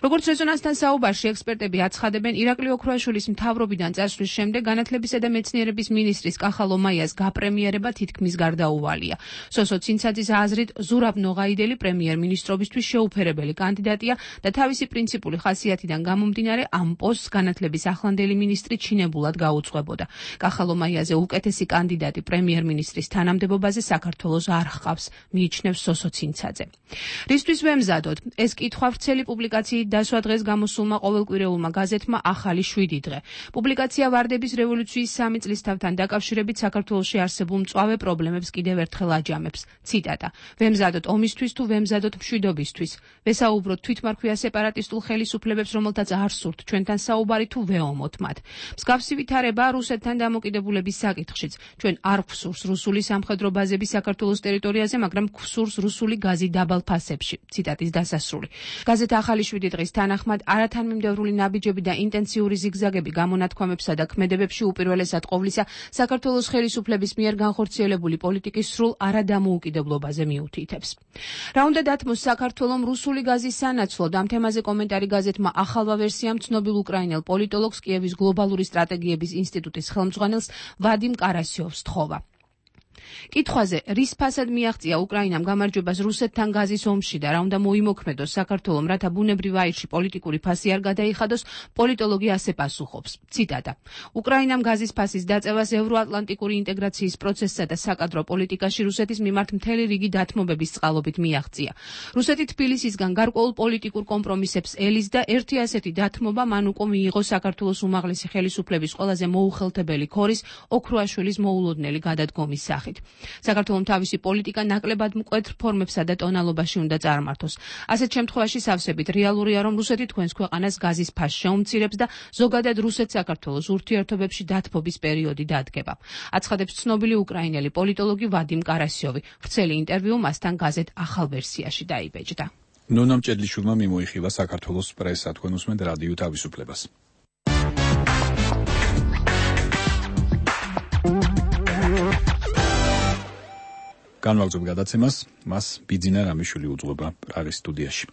S6: როგორც რეზონანსთან საუბარში ექსპერტები აცხადებენ, ირაკლი ოქროაშვილის მთავრობიდან წასვლის შემდეგ განათლებისა და მეცნიერების მინისტრის კახა ლომაიას გაპრემიერება თითქმის გარდაუვალია. სოსო ცინცაძის აზრით, ზურაბ ნოღაიდელი პრემიერ-მინისტრობისთვის შეუფერებელი კანდიდატია და თავისი პრინციპული ხასიათიდან გამომდინარე ამ პოსტს განათლების ახლანდელი მინისტრი ჩინებულად გაუძღვებოდა. კახა ლომაიაზე უკეთესი კანდიდატი პრემიერ-მინისტრის თანამდებობაზე საქართველოს არ ჰყავს, მიიჩნევს სოსო ცინცაძე. რისთვის ვემზადოთ? ეს კითხვა ვრცელი პუბლიკაციით დასვა დღეს გამოსულმა ყოველკვირეულმა გაზეთმა ახალი შვიდი დღე. პუბლიკაცია ვარდების რევოლუციის სამი წლისთავთან დაკავშირებით საქართველოში არსებულ მწვავე პრობლემებს კიდევ ერთხელ აჯამებს. ციტატა: ვემზადოთ ომისთვის თუ ვემზადოთ მშვიდობისთვის? ვესაუბროთ თვითმარქვია სეპარატისტულ ხელისუფლებებს, რომელთაც არ სურთ ჩვენთან საუბარი თუ ვეომოთ მათ? მსგავსი ვითარება რუსეთთან დამოკიდებულების საკითხშიც. ჩვენ არ გვსურს რუსული სამხედრო ბაზები საქართველოს ტერიტორიაზე, მაგრამ გვსურს რუსული გაზი დაბალ ფასებში. ციტატის დასასრული. გაზეთ ახალი შვიდი დღის თანახმად არათანმიმდევრული ნაბიჯები და ინტენსიური ზიგზაგები გამონათქვამებსა და ქმედებებში უპირველესად ყოვლისა საქართველოს ხელისუფლების მიერ განხორციელებული პოლიტიკის სრულ არადამოუკიდებლობაზე მიუთითებს. რა უნდა დათმოს საქართველომ რუსული გაზის სანაცვლოდ? ამ თემაზე კომენტარი გაზეთმა ახალვა ვერსიამ ცნობილ უკრაინელ პოლიტოლოგს, კიევის გლობალური სტრატეგიების ინსტიტუტის ხელმძღვანელს ვადიმ კარასიოვს თხოვა. კითხვაზე, რის ფასად მიაღწია უკრაინამ გამარჯვებას რუსეთთან გაზის ომში და რა უნდა მოიმოქმედოს საქართველომ, რათა ბუნებრივ აირში პოლიტიკური ფასი არ გადაიხადოს, პოლიტოლოგი ასე პასუხობს. ციტატა: უკრაინამ გაზის ფასის დაწევას ევროატლანტიკური ინტეგრაციის პროცესსა და საკადრო პოლიტიკაში რუსეთის მიმართ მთელი რიგი დათმობების წყალობით მიაღწია. რუსეთი თბილისისგან გარკვეულ პოლიტიკურ კომპრომისებს ელის და ერთი ასეთი დათმობა მან უკვე მიიღო საქართველოს უმაღლესი ხელისუფლების ყველაზე მოუხელთებელი ქორის ოქროაშვილის მოულოდნელი გადადგომის სახით. საქართველომ თავისი პოლიტიკა ნაკლებად მკვეთრ ფორმებსა და ტონალობაში უნდა წარმართოს. ასეთ შემთხვევაში სავსებით რეალურია, რომ რუსეთი თქვენს ქვეყანას გაზის ფასს შეუმცირებს და ზოგადად რუსეთ-საქართველოს ურთიერთობებში დათბობის პერიოდი დადგება. აცხადებს ცნობილი უკრაინელი პოლიტოლოგი ვადიმ კარასიოვი. ვრცელი ინტერვიუ მასთან გაზეთ ახალ ვერსიაში დაიბეჭდა.
S1: ნონა მჭედლიშვილმა მიმოიხილა საქართველოს პრესა, თქვენ უსმენთ რადიო თავისუფლებას. განვაგრძობ გადაცემას, მას ბიძინა რამიშვილი უძღვება პრაღის სტუდიაში.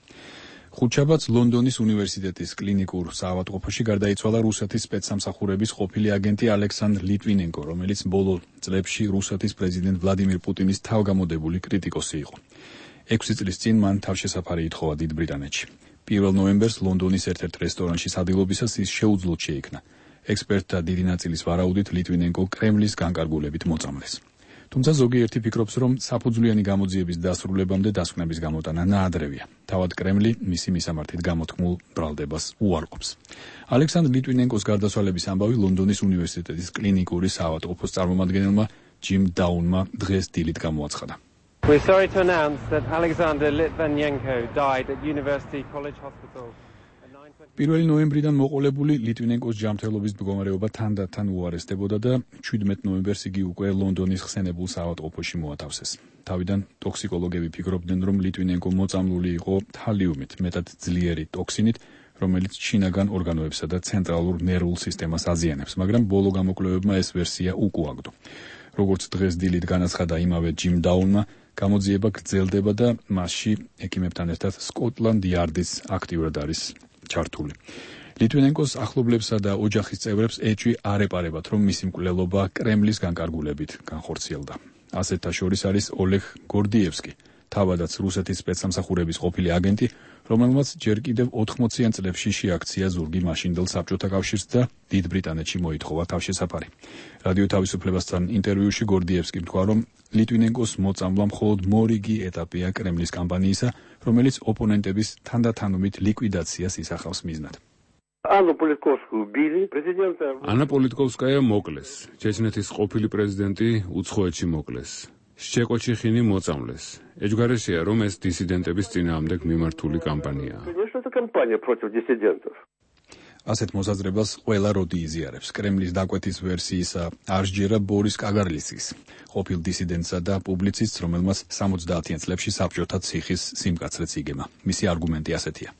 S1: ხუთშაბათს ლონდონის უნივერსიტეტის კლინიკურ საავადმყოფოში გარდაიცვალა რუსეთის სპეცსამსახურების ყოფილი აგენტი ალექსანდრ ლიტვინენკო, რომელიც ბოლო წლებში რუსეთის პრეზიდენტ ვლადიმირ პუტინის თავგამოდებული კრიტიკოსი იყო. ექვსი წლის წინ მან თავშესაფარი ითხოვა დიდ ბრიტანეთში. პირველ ნოემბერს ლონდონის ერთ-ერთ რესტორანში სადილობისას ის შეუძლოდ შეიქმნა. ექსპერტთა დიდი ნაწილის ვარაუდით ლიტვინენკო კრემლის განკარგულებით მოწამლეს. თუმცა ზოგიერთი ფიქრობს, რომ საფუძვლიანი გამოძიების დასრულებამდე დასკვნების გამოტანა ნაადრევია. თავად კრემლი მისი მისამართით გამოთქმულ ბრალდებას უარყოფს. ალექსანდრ ლიტვინენკოს გარდაცვალების ამბავი ლონდონის უნივერსიტეტის კლინიკური საავადმყოფოს წარმომადგენელმა ჯიმ დაუნმა დღეს დილით გამოაცხადა.
S21: We're sorry to announce that Alexander Litvinenko died at University College Hospital.
S1: პირველი ნოემბრიდან მოყოლებული ლიტვინენკოს ჯანმრთელობის მდგომარეობა თანდათან უარესდებოდა და შვიდმეტ ნოემბერს იგი უკვე ლონდონის ხსენებულ საავადმყოფოში მოათავსეს. თავიდან ტოქსიკოლოგები ფიქრობდნენ, რომ ლიტვინენკო მოწამლული იყო თალიუმით, მეტად ძლიერი ტოქსინით, რომელიც შინაგან ორგანოებსა და ცენტრალურ ნერვულ სისტემას აზიანებს, მაგრამ ბოლო გამოკვლევებმა ეს ვერსია უკუაგდო. როგორც დღეს დილით განაცხადა იმავე ჯიმ დაუნმა, გამოძიება გრძელდება და მასში ექიმებთან ერთად სკოტლანდ იარდის აქტიურად არის ჩართული. ლიტვინენკოს ახლობლებსა და ოჯახის წევრებს ეჭვი არ ეპარებათ, რომ მისი მკვლელობა კრემლის განკარგულებით განხორციელდა. ასეთთა შორის არის ოლეგ გორდიევსკი, თავადაც რუსეთის სპეცსამსახურების ყოფილი აგენტი, რომელმაც ჯერ კიდევ ოთხმოციან წლებში შეაქცია ზურგი მაშინდელ საბჭოთა კავშირს და დიდ ბრიტანეთში მოითხოვა თავშესაფარი. რადიო თავისუფლებასთან ინტერვიუში გორდიევსკი თქვა, რომ ლიტვინენკოს მოწამვლა მხოლოდ მორიგი ეტაპია კრემლის კამპანიისა, რომელიც ოპონენტების თანდათანობით ლიკვიდაციას ისახავს მიზნად.
S4: ანა პოლიტკოვსკაია მოკლეს. ჩეჩნეთის ყოფილი პრეზიდენტი უცხოეთში მოკლეს. შჩეკოჩიხინი მოწამლეს. ეჯგარეშია, რომ ეს დისიდენტების წინააღმდეგ მიმართული კამპანიაა.
S1: ასეთ მოსაზრებას ყველა როდი იზიარებს. კრემლის დაკვეთის ვერსიისა არ სჯერა ბორის კაგარლიცის, ყოფილ დისიდენტსა და პუბლიცისტს, რომელმაც სამოცდაათიან წლებში საბჭოთა ციხის სიმკაცრეც იგემა. მისი არგუმენტი ასეთია.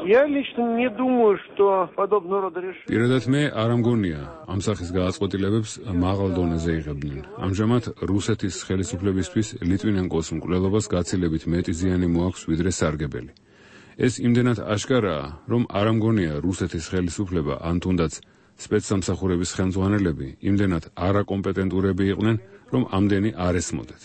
S21: Я лично не думаю, что подобного рода решения.
S4: პირადად მე არ ამგონია ამ სახის გადაწყვეტილებებს მაღალ დონეზე იღებდნენ. ამჟამად რუსეთის ხელისუფლებისთვის ლიტვინენკოს მკვლელობას გაცილებით მეტი ზიანი მოაქვს ვიდრე სარგებელი. ეს იმდენად აშკარაა, რომ არ ამგონია რუსეთის ხელისუფლება ან თუნდაც სპეცსამსახურების ხელმძღვანელები იმდენად არაკომპეტენტურები იყვნენ, რომ ამდენი არ ესმოდეთ.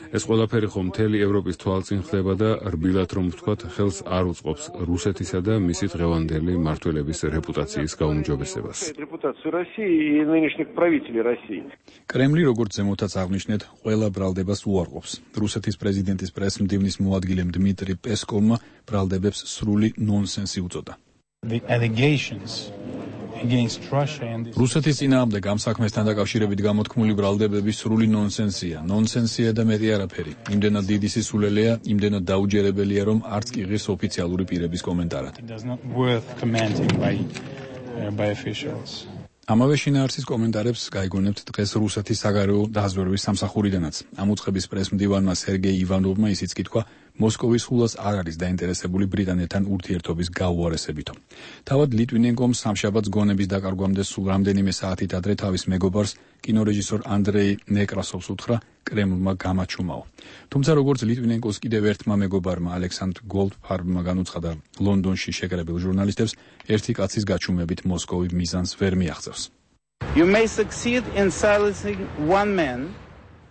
S4: ეს ყველაფერი ხომ მთელი ევროპის თვალწინ ხდება და რბილად რომ ვთქვათ, ხელს არ უწყობს რუსეთისა და მისი დღევანდელი მმართველების რეპუტაციის გაუმჯობესებას.
S21: Репутацию России и нынешних правителей России.
S1: კრემლი, როგორც ზემოთაც აღნიშნეთ, ყველა ბრალდებას უარყოფს. რუსეთის პრეზიდენტის პრესმდივნის მოადგილემ დმიტრი პესკოვმა ბრალდებებს სრული ნონსენსი უწოდა.
S5: The allegations against Russia and
S1: რუსეთის წინააღმდეგ ამ საქმესთან დაკავშირებით გამოთქმული ბრალდებები სრული ნონსენსია. ნონსენსია და მეტი არაფერი. იმდენად დიდი სისულელეა, იმდენად დაუჯერებელია, რომ არც კი ღირს ოფიციალური პირების კომენტარად.
S5: It does not worth commenting by uh, by officials.
S1: ამავე შინაარსის კომენტარებს გაიგონებთ დღეს რუსეთის საგარეო დაზვერვის სამსახურიდანაც. ამ უწყების პრესმდივანმა სერგეი ივანოვმა ისიც კითხვა, მოსკოვის ხულას არ არის დაინტერესებული ბრიტანეთთან ურთიერთობის გაუარესებითო. თავად ლიტვინენკომ სამშაბათს გონების დაკარგვამდე სულ რამდენიმე საათით ადრე თავის მეგობარს, კინორეჟისორ ანდრეი ნეკრასოვს უთხრა კრემლმა გამაჩუმაო. თუმცა როგორც ლიტვინენკოს კიდევ ერთმა მეგობარმა ალექსანდრ გოლდფარბმა განუცხადა ლონდონში შეკრებილ ჟურნალისტებს, ერთი კაცის გაჩუმებით მოსკოვი მიზანს ვერ მიაღწევს.
S3: You may succeed in silencing one man.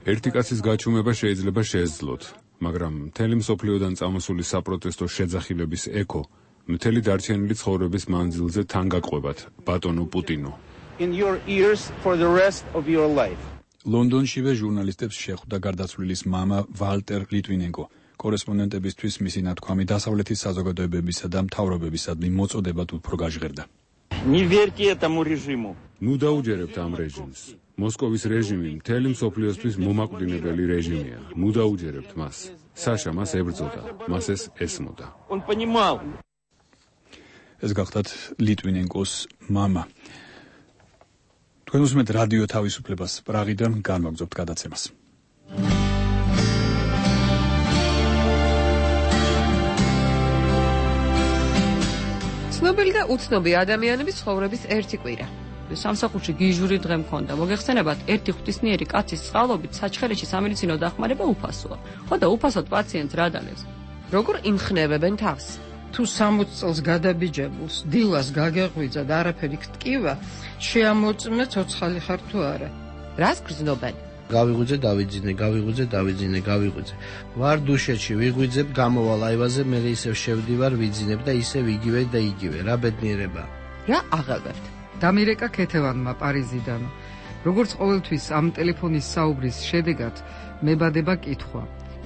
S4: ერთი კაცის გაჩუმება შეიძლება შეეძლოთ, მაგრამ მთელი მსოფლიოდან წამოსული საპროტესტო შეძახილების ექო მთელი დარჩენილი ცხოვრების მანძილზე თან გაყვებათ ბატონო პუტინო.
S3: In your ears for the rest of your life.
S1: ლონდონშივე ჟურნალისტებს შეხვდა გარდაცვლილის მამა ვალტერ ლიტვინენკო. კორესპონდენტებისთვის მისი ნათქვამი დასავლეთის საზოგადოებებისა და მთავრობებისადმი მოწოდებად უფრო გაჟღერდა.
S3: Не верьте этому режиму.
S4: ნუ დაუჯერებთ ამ რეჟიმს. მოსკოვის რეჟიმი მთელი მსოფლიოსთვის მომაკვდინებელი რეჟიმია. ნუ დაუჯერებთ მას. საშა მას ებრძოდა, მას ეს ესმოდა.
S3: Он понимал.
S1: ეს გახდათ ლიტვინენკოს მამა. თქვენ უსმენთ რადიო თავისუფლებას პრაღიდან, განვაგრძობთ გადაცემას.
S6: ცნობილი და უცნობი ადამიანების ცხოვრების ერთი კვირა.
S22: სამსახურში გიჟური დღე მქონდა. მოგეხსენებათ, ერთი ღვთისმიერი კაცის წყალობით საჩხერეში სამედიცინო დახმარება უფასოა. ხო და უფასოდ პაციენტს რა დალევს?
S6: როგორ იმხნევებენ თავს?
S23: თუ სამოცი წელს გადაბიჯებულს დილას გაგეღვიძა და არაფერი გტკივა, შეამოწმე ცოცხალი ხარ თუ არა.
S6: რას გრძნობენ?
S20: გავიღვიძე, დავიძინე, გავიღვიძე, დავიძინე, გავიღვიძე. ვარ დუშეთში, ვიღვიძებ, გამოვალ აივაზე, მე ისევ შევდივარ, ვიძინებ და ისევ იგივე და იგივე. რა ბედნიერება.
S6: რა აღებებთ?
S23: დამირეკა ქეთევანმა პარიზიდან. როგორც ყოველთვის ამ ტელეფონის საუბრის შედეგად მებადება კითხვა.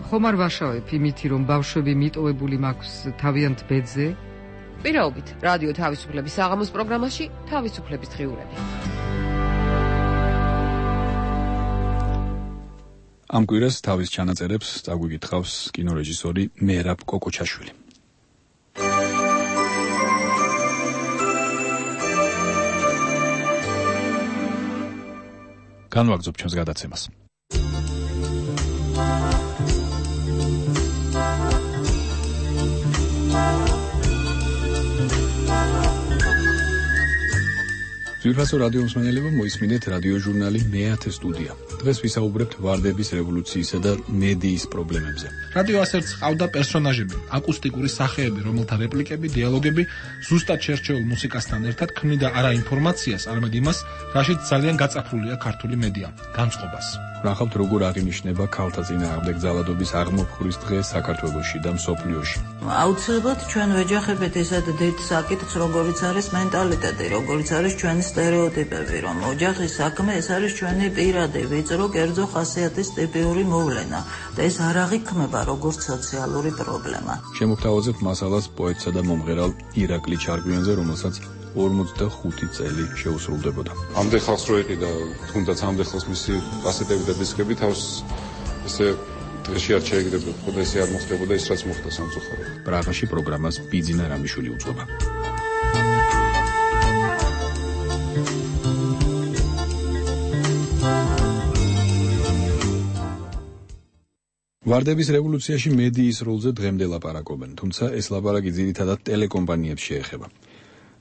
S23: ხომ არ ვაშავებ იმითი, რომ ბავშვები მიტოვებული მაქვს თავიანთ ბედზე?
S6: პირაობით, რადიო თავისუფლების საღამოს პროგრამაში თავისუფლების დღიურები.
S1: ამ კვირას თავის ჩანაწერებს წაგვიკითხავს კინორეჟისორი მერაბ კოკოჩაშვილი. განვაგრძობ ჩვენს გადაცემას. ძვირფასო რადიო მსმენელებო, მოისმინეთ რადიო ჟურნალი მეათე სტუდია. დღეს ვისაუბრებთ ვარდების რევოლუციისა და მედიის პრობლემებზე.
S24: რადიო ასერც ყავდა პერსონაჟები, აკუსტიკური სახეები, რომელთა რეპლიკები, დიალოგები ზუსტად შერჩეულ მუსიკასთან ერთად ქმნიდა არა ინფორმაციას, არამედ იმას, რაშიც ძალიან გაწაფრულია ქართული მედია, განწყობას.
S1: ვნახავთ, როგორ აღინიშნება ქალთა წინააღმდეგ ძალადობის აღმოფხვრის დღე საქართველოში და მსოფლიოში.
S25: აუცილებლად ჩვენ ვეჯახებთ ესად დიდ საკითხს, როგორიც არის მენტალიტეტი, როგორიც არის ჩვენი სტერეოტიპები, რომ ოჯახის საქმე ეს არის ჩვენი პირადი, ვიწრო, კერძო ხასიათის ტიპიური მოვლენა და ეს არ აღიქმება როგორც სოციალური პრობლემა.
S1: შემოგთავაზებთ მასალას პოეტსა და მომღერალ ირაკლი ჩარგვიანზე, რომელსაც ორმოცდახუთი წელი შეუსრულდებოდა.
S12: ამდე ხალხს რო იყიდა, თუნდაც ამდე ხალხს მისი კასეტები და დისკები თავს ესე დღეში არ შეეგდებოდა, ხოდა ესე არ მოხდებოდა ის რაც მოხდა სამწუხაროდ.
S1: პრაღაში პროგრამას ბიძინა რამიშვილი უძღვება. ვარდების რევოლუციაში მედიის როლზე დღემდე ლაპარაკობენ, თუმცა ეს ლაპარაკი ძირითადად ტელეკომპანიებს შეეხება.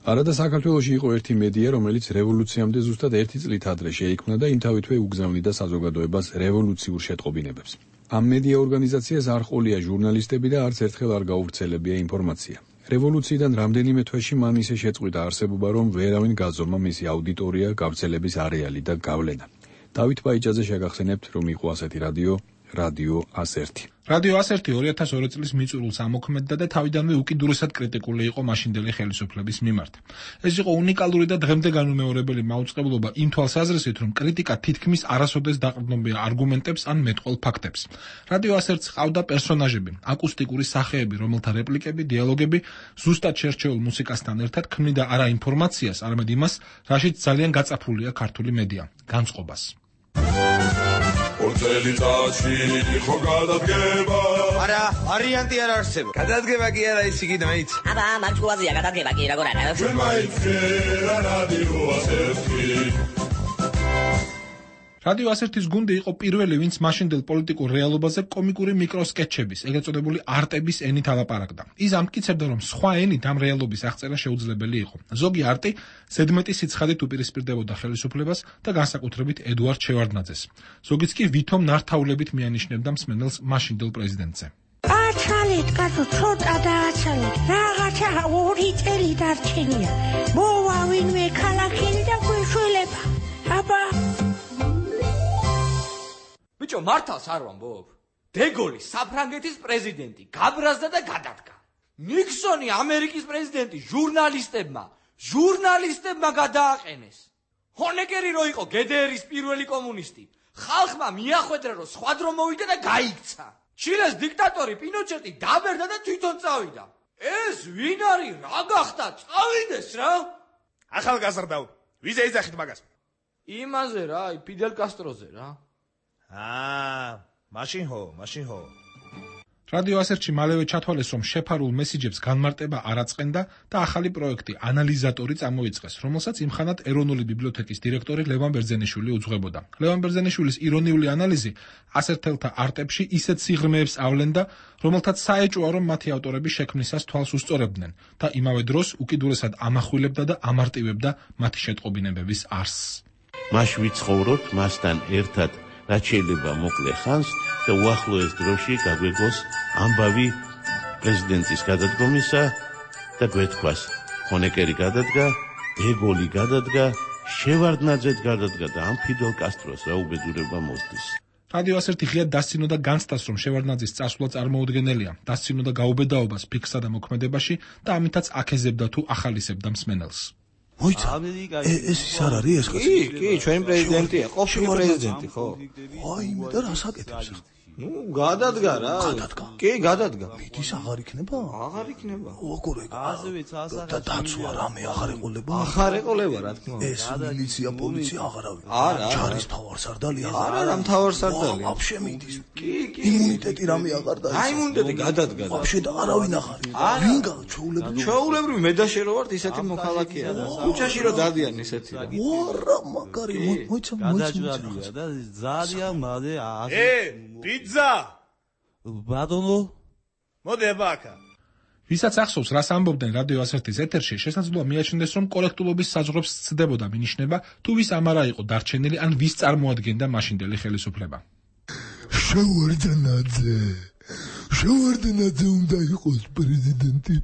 S1: არადა საქართველოში იყო ერთი მედია, რომელიც რევოლუციამდე ზუსტად ერთი წლით ადრე შეიქმნა და იმთავითვე უგზავნიდა საზოგადოებას რევოლუციურ შეტყობინებებს. ამ მედია ორგანიზაციას არ ყოლია ჟურნალისტები და არც ერთხელ არ გაუვრცელებია ინფორმაცია. რევოლუციიდან რამდენიმე თვეში მან ისე შეწყვიტა არსებობა, რომ ვერავინ გაზომა მისი აუდიტორია, გავრცელების არეალი და გავლენა. დავით ბაიჭაძე შეგახსენებთ, რომ იყო ასეთი რადიო, რადიო ას ერთი.
S24: რადიო ას ერთი ორი ათას ორი წლის მიწურულს ამოქმედდა და თავიდანვე უკიდურესად კრიტიკული იყო მაშინდელი ხელისუფლების მიმართ. ეს იყო უნიკალური და დღემდე განუმეორებელი მაუწყებლობა იმ თვალსაზრისით, რომ კრიტიკა თითქმის არასოდეს დაყრდნობია არგუმენტებს ან მეტყველ ფაქტებს. რადიო ას ერთს ყავდა პერსონაჟები, აკუსტიკური სახეები, რომელთა რეპლიკები, დიალოგები ზუსტად შერჩეულ მუსიკასთან ერთად ქმნიდა არა ინფორმაციას, არამედ იმას, რაშიც ძალიან გაწაფულია ქართული მედია, განწყობას.
S2: ორწელი წაში ხო გადადგება
S7: არა ვარიანტი არ არსებობს გადადგება კი არა ის იგი დაიც
S10: აბა მარჩუაზია გადადგება კი როგორ არა
S2: ჩვენ მაინც რა რადიო ას ერთი
S24: რადიო ას ერთის გუნდი იყო პირველი, ვინც მაშინდელ პოლიტიკურ რეალობაზე კომიკური მიკროსკეჩების, ეგრეთ წოდებული არტების ენით ალაპარაკდა. ის ამტკიცებდა, რომ სხვა ენით ამ რეალობის აღწერა შეუძლებელი იყო. ზოგი არტი ზედმეტი სიცხადით უპირისპირდებოდა ხელისუფლებას და განსაკუთრებით ედუარდ შევარდნაძეს. ზოგიც კი ვითომ ნართაულებით მიანიშნებდა მსმენელს მაშინდელ პრეზიდენტზე.
S13: აჩალეთ, კაცო, ცოტა დააჩალეთ. რაღაცა ორი წელი დარჩენია. მოვა ვინმე ქალაქელი და გვეშველება. აბა
S7: ბიჭო, მართალს არ ვამბობ? დეგოლი საფრანგეთის პრეზიდენტი გაბრაზდა და გადადგა. ნიქსონი ამერიკის პრეზიდენტი ჟურნალისტებმა, ჟურნალისტებმა გადააყენეს. ჰონეკერი რო იყო გე დე ერის პირველი კომუნისტი, ხალხმა მიახვედრა რომ სხვა დრო მოვიდა და გაიქცა. ჩილეს დიქტატორი პინოჩეტი დაბერდა და თვითონ წავიდა. ეს ვინ არის? რა გახდა? წავიდეს რა. ახალგაზრდაო, ვიზე ეძახით მაგას? იმაზე რა, ფიდელ კასტროზე რა. აა, მაშინ ხო, მაშინ ხო.
S24: რადიო ას ერთში მალევე ჩათვალეს, რომ შეფარულ მესიჯებს განმარტება არ აწყენდა და ახალი პროექტი ანალიზატორი წამოიწყეს, რომელსაც იმხანად ეროვნული ბიბლიოთეკის დირექტორი ლევან ბერძენიშვილი უძღვებოდა. ლევან ბერძენიშვილის ირონიული ანალიზი ას ერთელთა არტებში ისეთ სიღრმეებს ავლენდა, რომელთაც საეჭვოა, რომ მათი ავტორები შექმნისას თვალს უსწორებდნენ და იმავე დროს უკიდურესად ამახვილებდა და ამარტივებდა მათი შეტყობინებების არსს.
S14: მას ვიცხოვროთ მასთან ერთად რაც შეიძლება მოკლე ხანს და უახლოეს დროში გაგვეგოს ამბავი პრეზიდენტის გადადგომისა და გვეთქვას ჰონეკერი გადადგა, დეგოლი გადადგა, შევარდნაძე გადადგა და ამ ფიდელ კასტროს რა უბედურება მოსდის.
S24: რადიო ას ერთი ღიად დასცინოდა განცდას, რომ შევარდნაძის წასვლა წარმოუდგენელია, დასცინოდა გაუბედაობას ფიქსსა და მოქმედებაში და ამითაც აკეზებდა თუ ახალისებდა მსმენელს.
S26: მოიცა ეს ის არ არის ეს კაცი?
S7: კი, კი, ჩვენი პრეზიდენტია, ყოფილი პრეზიდენტი, ხო?
S26: აი, მე და რას აკეთებს ახლა?
S7: ნუ, გადადგა რა.
S26: გადადგა.
S7: კი, გადადგა.
S26: მიდის აღარ იქნება?
S7: აღარ იქნება.
S26: როგორ ეგ?
S7: ასევეც ასახა.
S26: და დაცვა რამე აღარ ეყოლება?
S7: აღარ ეყოლება, რა თქმა უნდა.
S26: ეს მილიცია, პოლიცია აღარავინ.
S7: არა,
S26: ჯარის მთავარსარდალი
S7: არა. არა, რა მთავარსარდალი.
S26: ვაფშე მიდის.
S7: კი, კი.
S26: იმუნიტეტი რამე აღარ დაიწყო.
S7: აი, იმუნიტეტი გადადგა.
S26: ვაფშე და არავინ აღარ. ვინ გაჩვეულებრივი?
S7: ჩვეულებრივი მე და შე რო ვართ ისეთი მოქალაქეა რა. ქუჩაში რო დადიან ისეთი რა.
S26: ვარა, მაგარი, მოიცა, მოიცა.
S27: და ძალიან მალე
S7: ე, პიცა
S27: ბატონო
S7: მოდი აბაკა
S24: ვისაც ახსოვს რას ამბობდნენ რადიო ას ერთის ეთერში, შესაძლოა მიაჩნდეს, რომ კორექტულობის საზღვრებს სცდებოდა მინიშნება, თუ ვის ამარა იყო დარჩენილი ან ვის წარმოადგენდა მაშინდელი ხელისუფლება.
S26: შევარდნაძე შევარდნაძე უნდა იყოს პრეზიდენტი.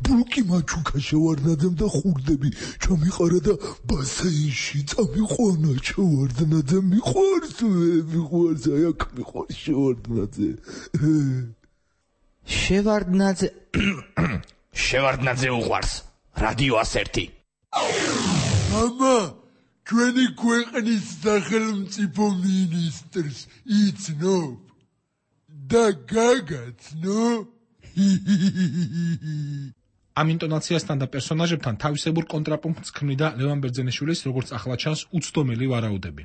S26: ბულკი მაჩუკა შევარდნაძემ და ხურდები ჩამიყარა და ბასეინში წამიყვანა. შევარდნაძე მიყვარს, მიყვარს, აი აქ მიყვარს შევარდნაძე.
S7: შევარდნაძე შევარდნაძე უყვარს რადიო ას ერთი.
S26: მამა, ჩვენი ქვეყნის სახელმწიფო მინისტრს იცნობ და გაგაცნო.
S24: ამ ინტონაციასთან და პერსონაჟებთან თავისებურ კონტრაპუნქტს ქმნიდა ლევან ბერძენიშვილის, როგორც ახლა ჩანს, უცდომელი ვარაუდები.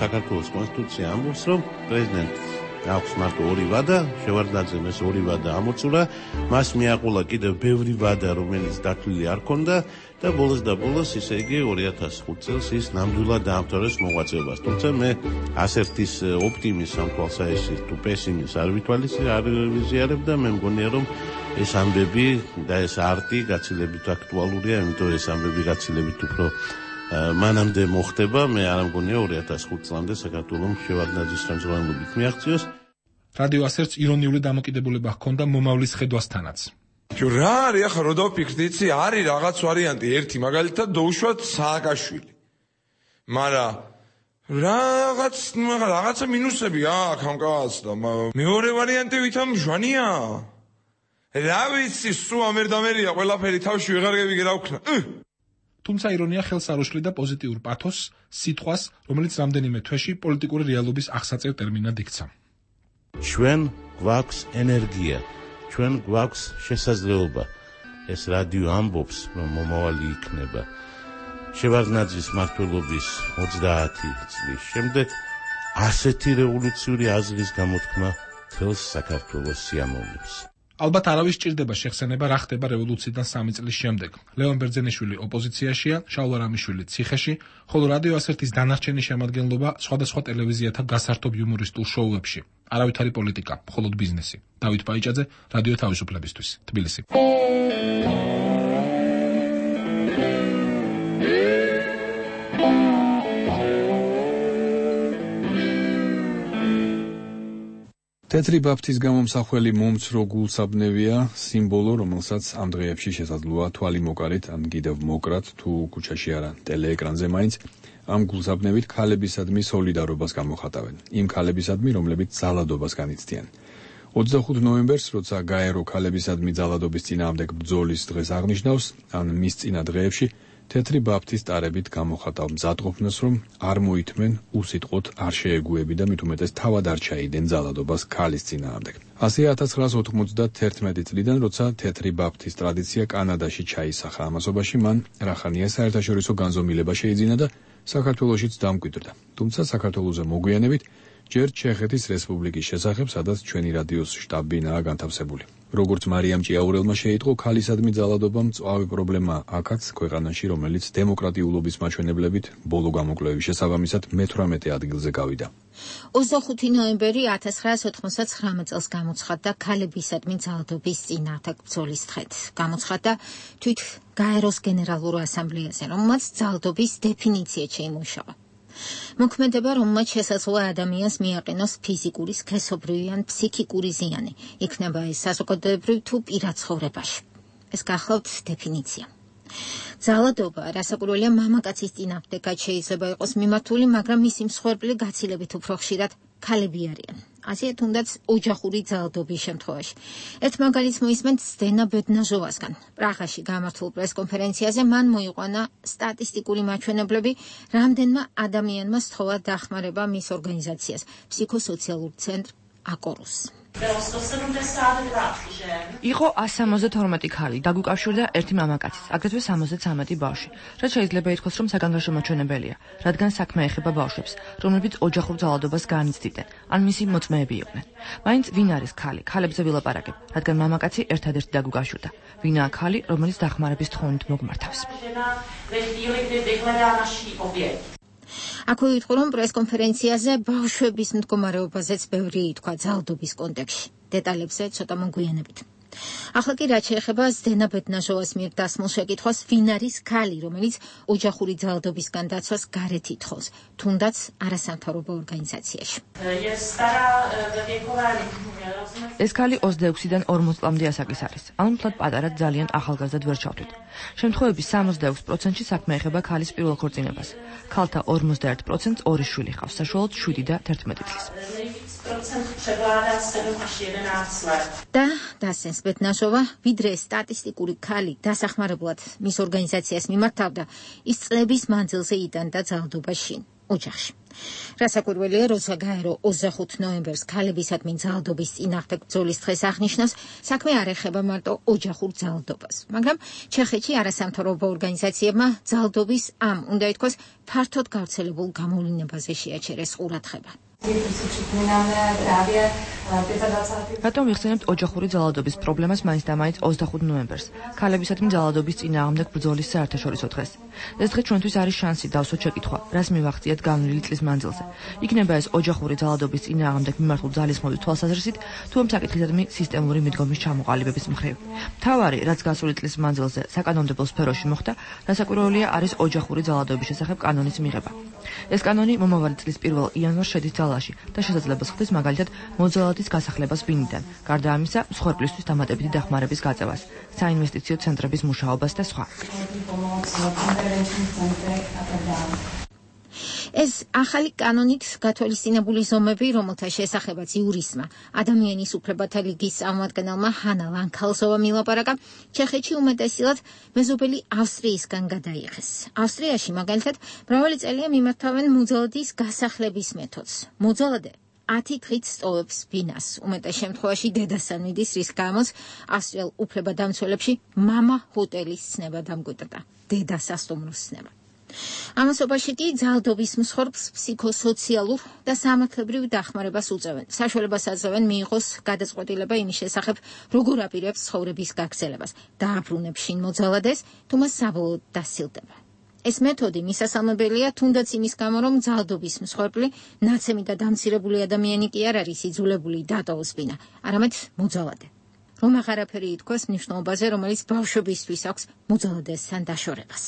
S14: საქართველოს კონსტიტუცია ამბობს, რომ პრეზიდენტს აქვს მარტო ორი ვადა, შევარდნაძემ ეს ორი ვადა ამოწურა, მას მიაყოლა კიდევ ბევრი ვადა, რომელიც დათვლილი არ ქონდა და ბოლოს და ბოლოს ისე იგი ორი ათას ხუთი წელს ის ნამდვილად დაამთავრეს მოღვაწეობას. თუმცა მე ასერთის ოპტიმიზმს ამ თვალსაჩინო თუ პესიმიზმს არ ვითვალისწინებ, არ ვიზიარებ და მე მგონია რომ ეს ამბები და ეს არტი გაცილებით აქტუალურია, იმიტომ ეს ამბები გაცილებით უფრო მანამდე მოხდება, მე არ მგონია ორი ათას ხუთი წლამდე საქართველოს შევარდნაძის ხელმძღვანელობით მიაღწიოს.
S24: რადიო ასერტს ირონიული დამოკიდებულება ჰქონდა მომავლის ხედვასთანაც.
S12: ჯო რა არის ახლა რო დავფიქრდი, იცი, არის რაღაც ვარიანტი, ერთი მაგალითად დაუშვათ სააკაშვილი. მაგრამ რაღაც რაღაცა მინუსები აქვს ამ კაცს და მეორე ვარიანტი ვითამ ჟვანია. რა ვიცი, სულ ამერდამერია ყველაფერი თავში ვეღარ გევიგე რა ვქნა.
S24: თუმცა ირონია ხელს არ უშლიდა პოზიტიურ პათოს, სიტყვას, რომელიც რამდენიმე თვეში პოლიტიკური რეალობის აღსაწევ ტერმინად იქცა.
S14: ჩვენ გვაქვს ენერგია, ჩვენ გვაქვს შესაძლებლობა. ეს რადიო ამბობს, რომ მომავალი იქნება. შევარდნაძის მმართველობის ოცდაათი წლის შემდეგ ასეთი რევოლუციური აზრის გამოთქმა თელს საქართველოს სიამოვნებს.
S24: ალბათ არავის ჭირდება შეხსენება რა ხდება რევოლუციიდან სამი წლის შემდეგ. ლევან ბერძენიშვილი ოპოზიციაშია, შაულ არამიშვილი ციხეში, ხოლო რადიო ასერთის დანარჩენი შემადგენლობა სხვადასხვა ტელევიზიათა გასართობ იუმორისტულ შოუებში. არავითარი პოლიტიკა, მხოლოდ ბიზნესი. დავით პაიჭაძე, რადიო თავისუფლებისთვის, თბილისი.
S1: თეთრი ბაფთის გამომსახველი მომცრო გულსაბნევია, სიმბოლო, რომელსაც ამ დღეებში შესაძლოა თვალი მოკარით, ან კიდევ მოკრათ, თუ ქუჩაში არა, ტელეეკრანზე მაინც, ამ გულსაბნევით ქალებისადმი სოლიდარობას გამოხატავენ. იმ ქალებისადმი, რომლებიც ძალადობას განიცდიან. ოცდახუთი ნოემბერს, როცა გაერო ქალებისადმი ძალადობის წინააღმდეგ ბრძოლის დღეს აღნიშნავს, ან მის წინა დღეებში, თეთრი ბაფთის ტარებით გამოხატავ მზადყოფნას, რომ არ მოითმენ, უსიტყვოდ არ შეეგუები და მით უმეტეს თავად არ ჩაიდენ ძალადობას ქალის წინააღმდეგ. ასე ათას ცხრაას ოთხმოცდათერთმეტი წლიდან, როცა თეთრი ბაფთის ტრადიცია კანადაში ჩაისახა ამასობაში, მან რახანია საერთაშორისო განზომილება შეიძინა და საქართველოშიც დამკვიდრდა. თუმცა საქართველოზე მოგვიანებით ჯერ ჩეხეთის რესპუბლიკის შესახებ, სადაც ჩვენი რადიოს შტაბ-ბინაა განთავსებული. როგორც მარიამ ჭიაურელმა შეიტყო, ქალისადმი ძალადობა მწვავე პრობლემა აქაც ქვეყანაში, რომელიც დემოკრატიულობის მაჩვენებლებით ბოლო გამოკვლევის შესაბამისად მეთვრამეტე ადგილზე გავიდა.
S9: ოცდახუთი ნოემბერი ათას ცხრაას ოთხმოცდათვრამეტ წელს გამოცხადდა ქალებისადმი ძალადობის წინააღმდეგ ბრძოლის დღედ. გამოცხადდა თვით გაეროს გენერალურ ასამბლეაზე, რომელმაც ძალადობის დეფინიცია შეიმუშავა. მოქმედება, რომელმაც შესაძლოა ადამიანს მიაყენოს ფიზიკური, სქესობრივი ან ფსიქიკური ზიანი, იქნება ეს საზოგადოებრივ თუ პირად ცხოვრებაში. ეს გახლავთ დეფინიცია. ძალადობა, რასაკვირველია, მამაკაცის წინააღმდეგაც შეიძლება იყოს მიმართული, მაგრამ მისი მსხვერპლი გაცილებით უფრო ხშირად ქალები არიან. ასე თუნდაც ოჯახური ძალადობის შემთხვევაში. ერთ მაგალითს მოისმენთ ზდენა ბედნაჟოვასგან. პრაღაში გამართულ პრესკონფერენციაზე მან მოიყვანა სტატისტიკური მაჩვენებლები, რამდენმა ადამიანმა სთხოვა დახმარება მის ორგანიზაციას, ფსიქოსოციალურ ცენტრ აკორუს.
S6: იყო ასი სამოცდათორმეტი ქალი, დაგვიკავშირდა ერთი მამაკაცის, აგრეთვე სამოცდათრამეტი ბავშვი. რაც შეიძლება ითქვას, რომ საგანგაშო მაჩვენებელია, რადგან საქმე ეხება ბავშვებს, რომლებიც ოჯახურ ძალადობას განიცდიდნენ, ან მისი მოწმეები იყვნენ. მაინც ვინ არის ქალი? ქალებზე ვილაპარაკებ, რადგან მამაკაცი ერთადერთი დაგვიკავშირდა. ვინაა ქალი, რომელიც დახმარების თხოვნით მოგმართავს?
S9: აქვე ვიტყვი, რომ პრესკონფერენციაზე ბავშვების მდგომარეობაზეც ბევრი ითქვა ძალადობის კონტექსტში. დეტალებზე ცოტა მოგვიანებით. ახლა კი რაც შეეხება ზდენა ბედნაჟოვას მიერ დასმულ შეკითხვას, ვინ არის ქალი, რომელიც ოჯახური ძალადობისგან დაცვას გარეთ ითხოვს, თუნდაც არასამთავრობო ორგანიზაციაში.
S6: ეს ქალი ოცდაექვსიდან ორმოც წლამდე ასაკის არის. ანუ მთლად პატარა, ძალიან ახალგაზრდად ვერ ჩავთვლით. შემთხვევების სამოცდაექვსი პროცენტში საქმე ეხება ქალის პირველ ქორწინებას. ქალთა ორმოცდაერთი პროცენტს ორი შვილი ჰყავს, საშუალოდ შვიდი და თერთმეტი წლის.
S9: და დასენს ბედნაჟოვა, ვიდრე სტატისტიკური ქალი დასახმარებლად მის ორგანიზაციას მიმართავდა, ის წლების მანძილზე იტანდა ძალადობას შინ, ოჯახში. რასაკვირველია, როცა გაერო ოცდახუთი ნოემბერს ქალებისადმი ძალადობის წინააღმდეგ ბრძოლის დღეს აღნიშნავს, საქმე არ ეხება მარტო ოჯახურ ძალადობას, მაგრამ ჩეხეთში არასამთავრობო ორგანიზაციებმა ძალადობის ამ, უნდა ითქვას, ფართოდ გავრცელებულ გამოვლინებაზე შეაჩერეს ყურადღება.
S6: რატომ ვიხსენებთ ოჯახური ძალადობის პრობლემას მაინც და მაინც ოცდახუთ ნოემბერს, ქალებისადმი ძალადობის წინააღმდეგ ბრძოლის საერთაშორისო დღეს? ეს დღე ჩვენთვის არის შანსი დავსვათ შეკითხვა, რას მივახციეთ განვლილი წლის მანძილზე. იქნება ეს ოჯახური ძალადობის წინააღმდეგ მიმართულ ძალისხმევის თვალსაზრისით, თუ ამ საკითხისადმი სისტემური მიდგომის ჩამოყალიბების მხრივ. მთავარი, რაც გასული წლის მანძილზე საკანონმდებლო სფეროში მოხდა, დასაკვირველია არის ოჯახური ძალადობის შესახებ კანონის მიღება. ეს კანონი მომავალი წლის პირველ იანვარს შედის ძალაში და შესაძლებას ხდის მაგალითად მოძალადის გასახლებას ბინიდან, გარდა ამისა, მსხვერპლისთვის დამატებითი დახმარების გაწევას, საინვესტიციო ცენტრების მუშაობას და სხვა.
S9: ეს ახალი კანონით გათვალისწინებული ზომები, რომელთა შესახებაც იურისმა, ადამიანის უფლებათა ლიგის წარმომადგენელმა ჰანა ლანქალსოვამ ილაპარაკა, ჩეხეთში უმეტესილად მეზობელი ავსტრიისგან გადაიღეს. ავსტრიაში მაგალითად მრავალი წელია მიმართავენ მოძალადის გასახლების მეთოდს. მოძალადე ათი დღით სწოვებს ბინას, უმეტეს შემთხვევაში დედასთან მიდის, რის გამოც ავსტრიელ უფლებადამცველებში მამა ჰოტელის ცნება დამკვიდრდა, დედა სასტუმროს ცნება. ამასობაში კი ძალადობის მსხვერპლს ფსიქოსოციალურ და სამართლებრივ დახმარებას უწევენ. საშუალებას აძლევენ მიიღოს გადაწყვეტილება იმის შესახებ, როგორ აპირებს ცხოვრების გაგრძელებას, დააბრუნებს შინ მოძალადეს, თუ მას საბოლოოდ დასილდება. ეს მეთოდი მისასალმებელია თუნდაც იმის გამო, რომ ძალადობის მსხვერპლი ნაცემი და დამცირებული ადამიანი კი არ არის იძულებული დატოვოს ბინა, არამედ მოძალადე. რომ აღარაფერი ითქვას მნიშვნელობაზე, რომელიც ბავშვებისთვის აქვს მოძალადესთან დაშორებას.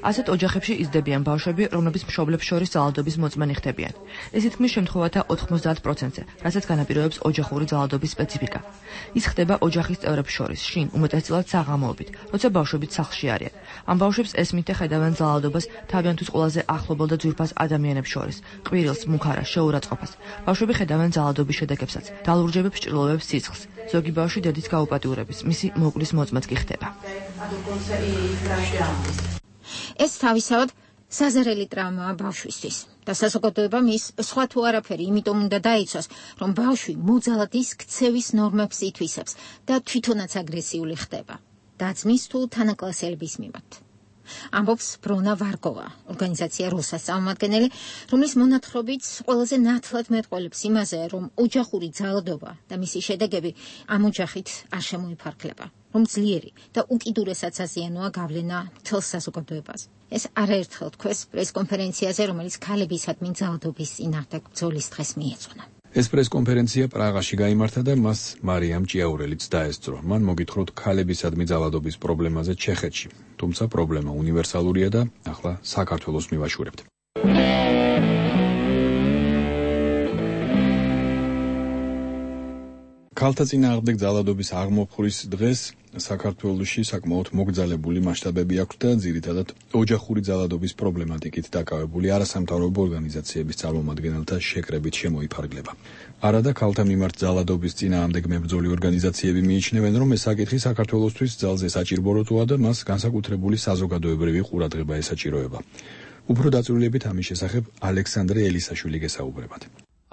S9: ასეთ ოჯახებში იზრდებიან ბავშვები, რომლებიც მშობლებს შორის ძალადობის მოწმენი ხდებიან. ეს თითქმის შემთხვევათა ოთხმოცდაათ პროცენტზე, რასაც განაპირობებს ოჯახური ძალადობის სპეციფიკა. ის ხდება ოჯახის წევრებს შორის, შინ უმეტესწილად საღამოობით, როცა ბავშვებიც სახლში არიან. ამ ბავშვებს ესმით და ხედავენ ძალადობას თავიანთვის ყველაზე ახლობელ და ძვირფას ადამიანებს შორის, ყვირილს, მუქარას, შეურაცხყოფას. ბავშვები ხედავენ ძალადობის შედეგებსაც, დალურჯებებს, ჭრილობებს, სიცხს. ზოგი ბავშვი დედის გაუპატიურების, მისი მოკვლის მოწმეც კი ხდება. ეს თავისავად საზერელი ტრავმაა ბავშვისთვის და საზოგადოებამ ის სხვა თუ არაფერი იმიტომ უნდა დაიცვას, რომ ბავშვი მოძალადის ქცევის ნორმებს ითვისებს და თვითონაც აგრესიული ხდება. დაძმის თუ თანაკლასელების მიმართ. ამბობს ბრონა ვარგოვა, ორგანიზაცია რუსას წარმომადგენელი, რომლის მონათხრობით ყველაზე ნათლად მეტყველებს იმაზე, რომ ოჯახური ძალადობა და მისი შედეგები ამ ოჯახით არ შემოიფარგლება, რომ ძლიერი და უკიდურესად საზიანოა გავლენა მთელ საზოგადოებაზე. ეს არაერთხელ თქვეს პრესკონფერენციაზე, რომელიც ქალებისადმი ძალადობის წინააღმდეგ ბრძოლის დღეს მიეძღვნა.
S1: ეს პრესკონფერენცია პრაღაში გაიმართა და მას მარიამ ჭიაურელიც დაესწრო. მან მოგითხროთ ქალებისადმი ძალადობის პრობლემაზე ჩეხეთში. თუმცა პრობლემა უნივერსალურია და ახლა საქართველოს მივაშურებთ. ქალთა წინააღმდეგ ძალადობის აღმოფხურის დღეს საქართველოში საკმაოდ მოგრძალებული მასშტაბები აქვს და ძირითადად ოჯახური ძალადობის პრობლემატიკით დაკავებული არასამთავრობო ორგანიზაციების წარმომადგენელთა შეკრებით შემოიფარგლება. არადა ქალთა მიმართ ძალადობის წინააღმდეგ მებრძოლი ორგანიზაციები მიიჩნევენ, რომ ეს საკითხი საქართველოსთვის ძალზე საჭიროა და მას განსაკუთრებული საზოგადოებრივი ყურადღება ესაჭიროება. უფრო დაწვრილებით ამის შესახებ ალექსანდრე ელისაშვილი გესაუბრებათ.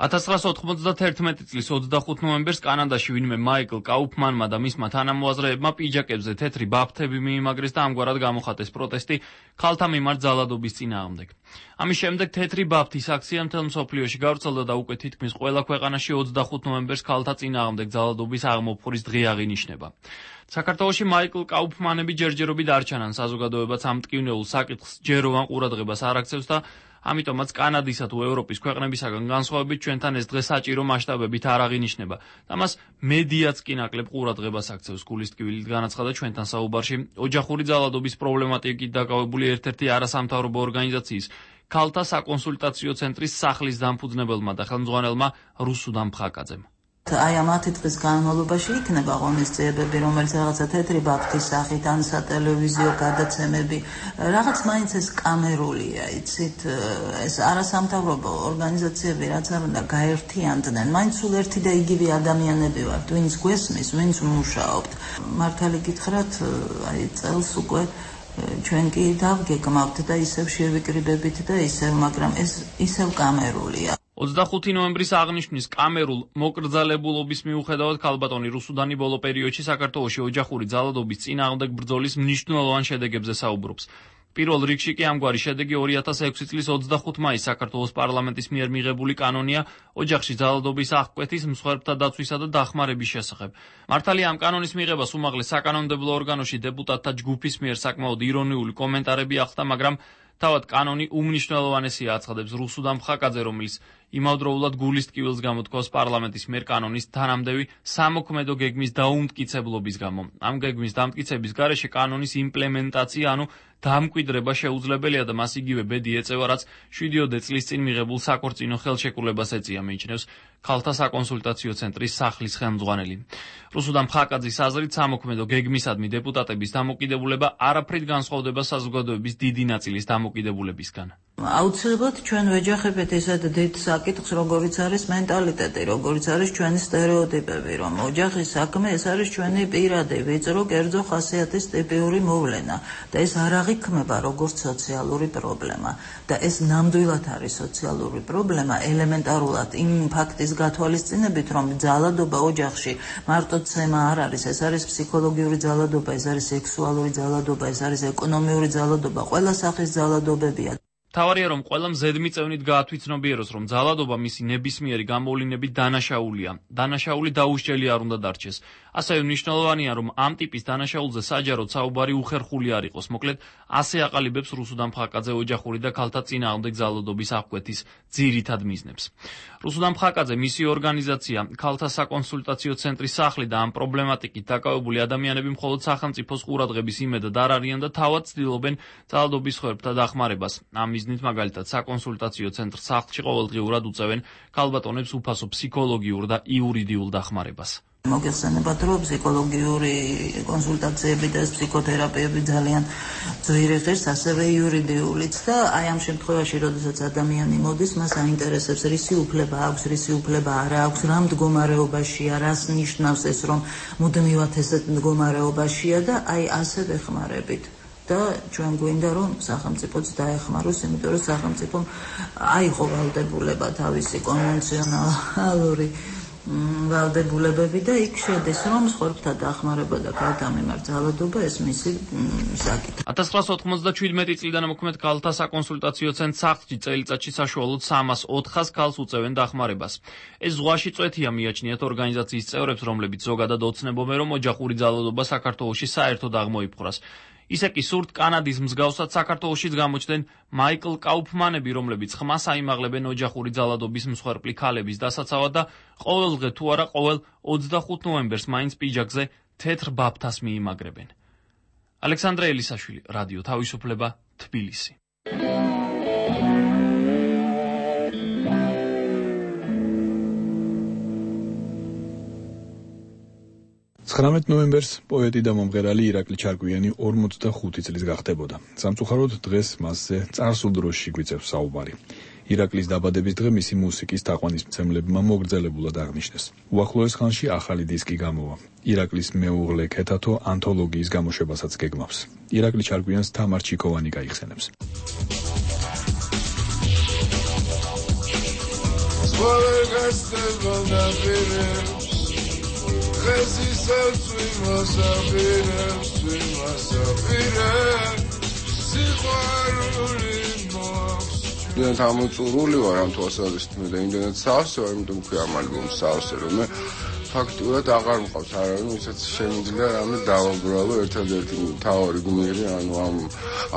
S8: ათას ცხრაასა ოთხმოცდათერთმეტი წლის ოცდახუთ ნოემბერს კანადაში ვინმე მაიკლ კაუფმანმა და მისმა თანამოაზრეებმა პიჯაკებზე თეთრი ბაფთები მიიმაგრეს და ამგვარად გამოხატეს პროტესტი ქალთა მიმართ ძალადობის წინააღმდეგ. ამის შემდეგ თეთრი ბაფთის აქცია მთელ მსოფლიოში გავრცელდა და უკვე თითქმის ყველა ქვეყანაში ოცდახუთ ნოემბერს ქალთა წინააღმდეგ ძალადობის აღმოფხურის დღე აღინიშნება. საქართველოში მაიკლ კაუფმანები ჯერჯერობით არ ჩანან საზოგადოებაც ამ მტკივნეულ საკითხს ჯეროვან ყურადღებას არ აქცევს და ამიტომაც კანადისა თუ ევროპის ქვეყნებისაგან განსხვავებით ჩვენთან ეს დღე საჭირო მასშტაბებით არ აღინიშნება და მას მედიაც კი ნაკლებ ყურადღებას აქცევს. გულის ტკივილით განაცხადა ჩვენთან საუბარში ოჯახური ძალადობის პრობლემატიკით დაკავებული ერთ-ერთი არასამთავრობო ორგანიზაციის ქალთა საკონსულტაციო ცენტრის სახლის დამფუძნებელმა და ხელმძღვანელმა რუსუდან ფხაკაძემ.
S25: აი ამ ათი დღის განმავლობაში იქნება ღონისძიებები, რომელიც რაღაცა თეთრი ბაფთის სახით, ან სატელევიზიო გადაცემები, რაღაც მაინც ეს კამერულია, იცით, ეს არასამთავრობო ორგანიზაციები რაც არ უნდა გაერთიანდნენ, მაინც სულ ერთი და იგივე ადამიანები ვართ, ვინც გვესმის, ვინც მუშაობთ. მართალი გითხრათ, აი წელს უკვე ჩვენ კი დავგეგმავთ და ისევ შევიკრიბებით და ისევ, მაგრამ ეს ისევ კამერულია.
S8: ოცდახუთი ნოემბრის აღნიშვნის კამერულ მოკრძალებულობის მიუხედავად ქალბატონი რუსუდანი ბოლო პერიოდში საქართველოში ოჯახური ძალადობის წინააღმდეგ ბრძოლის მნიშვნელოვან შედეგებზე საუბრობს. პირველ რიგში კი ამგვარი შედეგი ორი ათას ექვსი წლის ოცდახუთი მაისს საქართველოს პარლამენტის მიერ მიღებული კანონია ოჯახში ძალადობის აღკვეთის, მსხვერპლთა დაცვისა და დახმარების შესახებ. მართალია ამ კანონის მიღებას უმაღლეს საკანონმდებლო ორგანოში დეპუტატთა ჯგუფის მიერ საკმაოდ ირონიული კომენტარები ახლდა, მაგრამ თავად კანონი უმნიშვნელოვანესია აცხადებს რუსუდამ ხაკაძე, რომელიც იმავდროულად გულის ტკივილს გამოთქვას პარლამენტის მიერ კანონის თანამდევი სამოქმედო გეგმის დაუმტკიცებლობის გამო. ამ გეგმის დამტკიცების გარეშე კანონის იმპლემენტაცია, ანუ დამკვიდრება შეუძლებელია და მას იგივე ბედი ეწევა, რაც შვიდიოდე წლის წინ მიღებულ საქორწინო ხელშეკრულებას ეწია, მიიჩნევს ქალთა საკონსულტაციო ცენტრის სახლის ხელმძღვანელი. რუსუდამ ხაკაძის აზრით, სამოქმედო გეგმისადმი დეპუტატების დამოკიდებულება არაფრით განსხვავდება საზოგადოების დიდი ნაწილის დამოკიდებულებისგან.
S25: აუცილებლად ჩვენ ვეჯახებთ ესად დიდ საკითხს, როგორიც არის მენტალიტეტი, როგორიც არის ჩვენი სტერეოტიპები, რომ ოჯახის საქმე ეს არის ჩვენი პირადი, ვიწრო, კერძო ხასიათის ტიპიური მოვლენა და ეს არ აღიქმება როგორც სოციალური პრობლემა და ეს ნამდვილად არის სოციალური პრობლემა ელემენტარულად იმ ფაქტის გათვალისწინებით, რომ ძალადობა ოჯახში მარტო ცემა არ არის, ეს არის ფსიქოლოგიური ძალადობა, ეს არის სექსუალური ძალადობა, ეს არის ეკონომიური ძალადობა, ყველა სახის ძალადობებია.
S8: თავარია, რომ ყველამ ზედმიწევნით გაათვითცნობიეროს, რომ ძალადობა მისი ნებისმიერი გამოვლინებით დანაშაულია. დანაშაული დაუსჯელი არ უნდა დარჩეს. ასევე მნიშვნელოვანია, რომ ამ ტიპის დანაშაულზე საჯაროდ საუბარი უხერხული არ იყოს. მოკლედ, ასე აყალიბებს რუსუდამ ხაკაძე ოჯახური და ქალთა წინააღმდეგ ძალადობის აღკვეთის ძირითად მიზნებს. რუსუდამ ხაკაძე, მისი ორგანიზაცია, ქალთა საკონსულტაციო ცენტრის სახლი და ამ პრობლემატიკით დაკავებული ადამიანები მხოლოდ სახელმწიფოს ყურადღების იმედად არ არიან და თავად ცდილობენ ძალადობის მსხვერპლთა დახმარებას. ამ მიზნით მაგალითად საკონსულტაციო ცენტრ სახლში ყოველდღიურად უწევენ ქალბატონებს უფასო ფსიქოლოგიურ და იურიდიულ დახმარებას.
S25: მოგეხსენებათ, რომ ფსიქოლოგიური კონსულტაციები და ფსიქოთერაპიები ძალიან ძვირი ღირს, ასევე იურიდიულიც და აი ამ შემთხვევაში, როდესაც ადამიანი მოდის, მას აინტერესებს რისი უფლება აქვს, რისი უფლება არ აქვს, რა მდგომარეობაშია, რას ნიშნავს ეს, რომ მუდმივად ესეთ მდგომარეობაშია და აი ასე ვეხმარებით. და ჩვენ გვინდა რომ სახელმწიფოც დაეხმაროს, იმიტომ რომ სახელმწიფომ აიღო ვალდებულება თავისი კონვენციონალური ვალდებულებები და იქ შედის რომ მსხვერპლთა დახმარება და ქალთა მიმართ ძალადობა ეს მისი საკითხი.
S8: ათას ცხრაასი ოცდაათი წლიდან მოქმედ ქალთა საკონსულტაციო ცენტრ სახლში წელიწადში საშუალოდ სამას ოთხას ქალს უწევენ დახმარებას. ეს ზღვაში წვეთია, მიაჩნიათ ორგანიზაციის წევრებს, რომლებიც ზოგადად ოცნებობენ, რომ ოჯახური ძალადობა საქართველოში საერთოდ აღმოიფხვრას. ისე კი სურთ კანადის მსგავსად საქართველოშიც გამოჩნდნენ მაიკლ კაუფმანები, რომლებიც ხმას აიმაღლებენ ოჯახური ძალადობის მსხვერპლი ქალების დასაცავად და ყოველდღე თუ არა ყოველ ოცდახუთ ნოემბერს მაინც პიჯაკზე თეთრ ბაფთას მიიმაგრებენ. ალექსანდრე ელისაშვილი, რადიო თავისუფლება, თბილისი.
S1: ცხრამეტ ნოემბერს პოეტი და მომღერალი ირაკლი ჩარკვიანი ორმოცდახუთი წლის გახდებოდა. სამწუხაროდ დღეს მასზე წარსულ დროში გვიწევს საუბარი. ირაკლის დაბადების დღე მისი მუსიკის თაყვანისმცემლებმა მოგრძელებულად აღნიშნეს. უახლოეს ხანში ახალი დისკი გამოვა. ირაკლის მეუღლე ქეთათო ანთოლოგიის გამოშვებასაც გეგმავს. ირაკლი ჩარკვიანს თამარ ჩიქოვანი გაიხსენებს.
S2: ხესისაც ვიმასაპირებს, ვიმასაპირებს, სიყვარული მოაქვს.
S11: ძალიან გამოწურული ვარ ამ თვალსაზრისით, მე და იმდენად სავსე ვარ, იმიტომ ვქვი ამ ალბომს სავსე, რომ მე ფაქტურად აღარ მყავს არავინ, ვისაც შემიძლია რამე დავაბრალო ერთადერთი მთავარი გმირი, ანუ ამ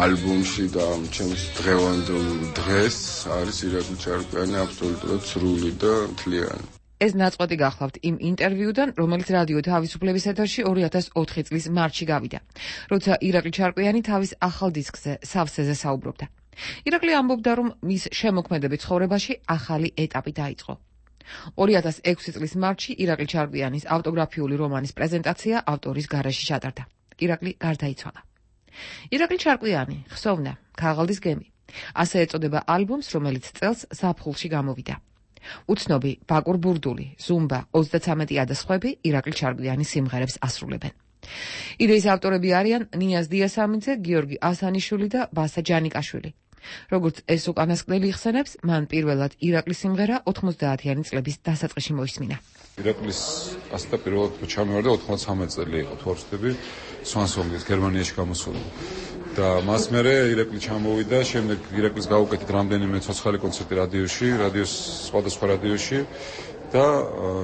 S11: ალბომში და ამ ჩემს დღევანდელ დღეს არის ირაკლი ჩარკვიანი აბსოლუტურად სრული და მთლიანი.
S6: ეს ნაწყვეტი გახლავთ იმ ინტერვიუდან, რომელიც რადიო თავისუფლების ეთერში ორი ათას ოთხი წლის მარტში გავიდა, როცა ირაკლი ჩარკვიანი თავის ახალ დისკზე სავსეზე საუბრობდა. ირაკლი ამბობდა, რომ მის შემოქმედებით ცხოვრებაში ახალი ეტაპი დაიწყო. ორი ათას ექვსი წლის მარტში ირაკლი ჩარკვიანის ავტოგრაფიული რომანის პრეზენტაცია ავტორის გარეშე ჩატარდა. ირაკლი გარდაიცვალა. ირაკლი ჩარკვიანი, ხსოვნა, ქაღალდის გემი. ასე ეწოდება ალბომს, რომელიც წელს ზაფხულში გამოვიდა. უცნობი, ბაკურ ბურდული, ზუმბა, ოცდაცამეტია და სხვები ირაკლი ჩარკვიანის სიმღერებს ასრულებენ. იდეის ავტორები არიან ნიაზ დიასამიძე, გიორგი ასანიშვილი და ბასა ჯანიკაშვილი. როგორც ეს უკანასკნელი იხსენებს, მან პირველად ირაკლის სიმღერა ოთხმოცდაათიანი წლების დასაწყისში მოისმინა.
S4: ირაკლის ასეთა პირველად ჩამოვარდა ოთხმოცდაცამეტი წელი იყო, თუ არ ვცდები, სვანსონგის გერმანიაში გამოსული.
S12: და მას მერე ირაკლი ჩამოვიდა, შემდეგ ირაკლის გავუკეთეთ რამდენიმე ცოცხალი კონცერტი რადიოში, რადიოს სხვადასხვა რადიოში და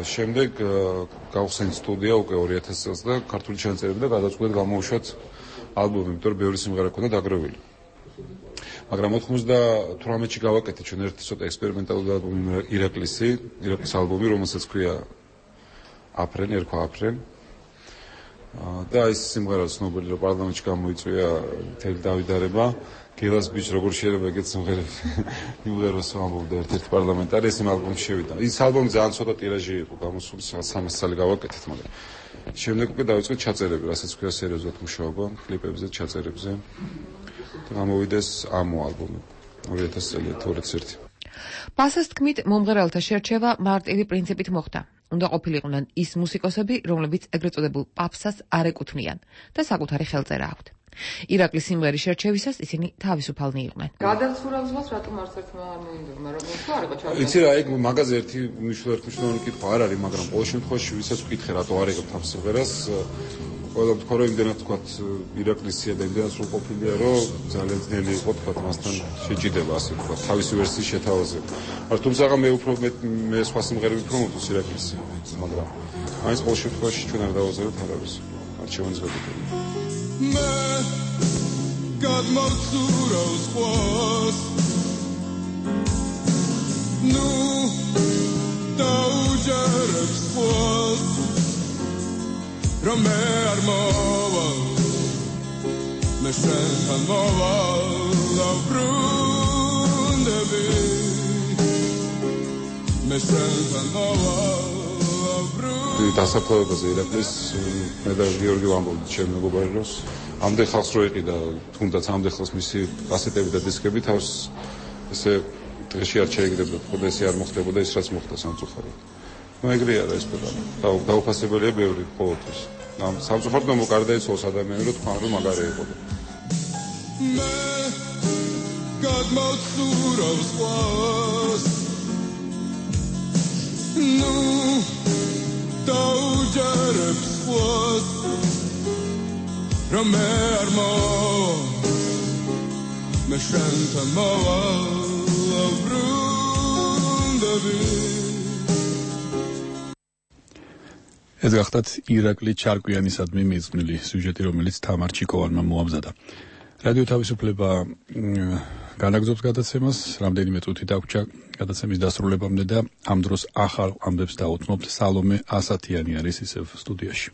S12: შემდეგ გავხსენით სტუდია უკვე ორი ათასი წელს და ქართული ჩანაწერები და გადავწყვეტ გამოვუშვათ ალბომი, იმიტომ რომ ბევრი სიმღერა ქონდა დაგროვილი. მაგრამ ოთხმოცდათვრამეტში გავაკეთეთ ჩვენ ერთი ცოტა ექსპერიმენტალური ალბომი ირაკლისი, ირაკლის ალბომი, რომელსაც ქვია აფრენ, ერქვა აფრენ. და ის სიმღერა ცნობილი რომ პარლამენტში გამოიწვია მთელი დავიდარება, გელას ბიჭ როგორ შეიძლება ეგეთ სიმღერებს იმღეროს ამბობდა ერთ-ერთი პარლამენტარი, ეს იმ ალბომში შევიდა. ის ალბომი ძალიან ცოტა ტირაჟი იყო, გამოსული სამას წელი გავაკეთეთ, მაგრამ შემდეგ უკვე დავიწყეთ ჩაწერები, რასაც ქვია სერიოზულად მუშაობა, კლიპებზე, ჩაწერებზე. და გამოვიდა ეს ამო ალბომი ორი ათასი წელი თორეც ერთი.
S6: პასას თქმით, მომღერალთა შერჩევა მარტივი პრინციპით მოხდა. უნდა ყოფილიყვნენ ის მუსიკოსები, რომლებიც ეგრეთ წოდებულ პაპსას არ ეკუთვნიან და საკუთარი ხელწერა აქვთ. ირაკლის სიმღერის შერჩევისას ისინი თავისუფალნი იყვნენ.
S23: გადაცურავს რატომ არც ერთმა არ მოინდომა, რომ თუ არ იყო ჩართული.
S12: იცი რა, ეგ მაგაზე ერთი მნიშვნელოვანი კითხვა არ არის, მაგრამ ყოველ შემთხვევაში ვისაც ვკითხე რატო არ იღებთ ამ სიმღერას, ყველა თქვა რომ იმდენად თქვათ ირაკლისია და იმდენად სულ ყოფილია, რომ ძალიან ძნელი იყო თქვათ მასთან შეჭიდება, ასე თქვათ, თავისი ვერსიის შეთავაზება. მაგრამ თუმცა მე უფრო მე სხვა სიმღერები უფრო მომწონს ირაკლისი, მაგრამ მაინც ყოველ შემთხვევაში ჩვენ არ დავაზარებთ არავის. არჩევანს გადაგებთ.
S2: მე გადმოვცურავს ყვას ნუ დაუჯერებს ყვას რომ მე არ მოვალ მე შენთან მოვალ დაბრუნდები მე შენთან მოვალ
S12: დასაფლავებაზე ირაკლის მე და გიორგი ვამბობთ ჩემ მეგობარს ამდენ ხალხს რო იყიდა თუნდაც ამდენ ხალხს მისი კასეტები და დისკები თავს ესე დღეში არ შეეგდებოდა ხოდა ესე არ მოხდებოდა ის რაც მოხდა სამწუხაროდ ნუ ეგრეა რა ეს პრობლემა და დაუფასებელია ბევრი ყოველთვის ამ სამწუხაროდ ნუ გარდაიცვალოს ადამიანი რო თქვა რომ მაგარი იყო
S2: მე გადმოვცურავს ყვას ნუ დაუჯერებს ყვას რომ მე არ მოვალ მე შენთან მოვალ დაბრუნდები
S1: ეს გახდათ ირაკლი ჩარკვიანისადმი მიძღვნილი სიუჟეტი, რომელიც თამარ ჩიკოვანმა მოამზადა. რადიო თავისუფლება განაგზობს გადაცემას, რამდენიმე წუთი დაგვრჩა გადაცემის დასრულებამდე და ამ დროს ახალ ამბებს დაუთმობთ. სალომე ასათიანი არის ისევ სტუდიაში.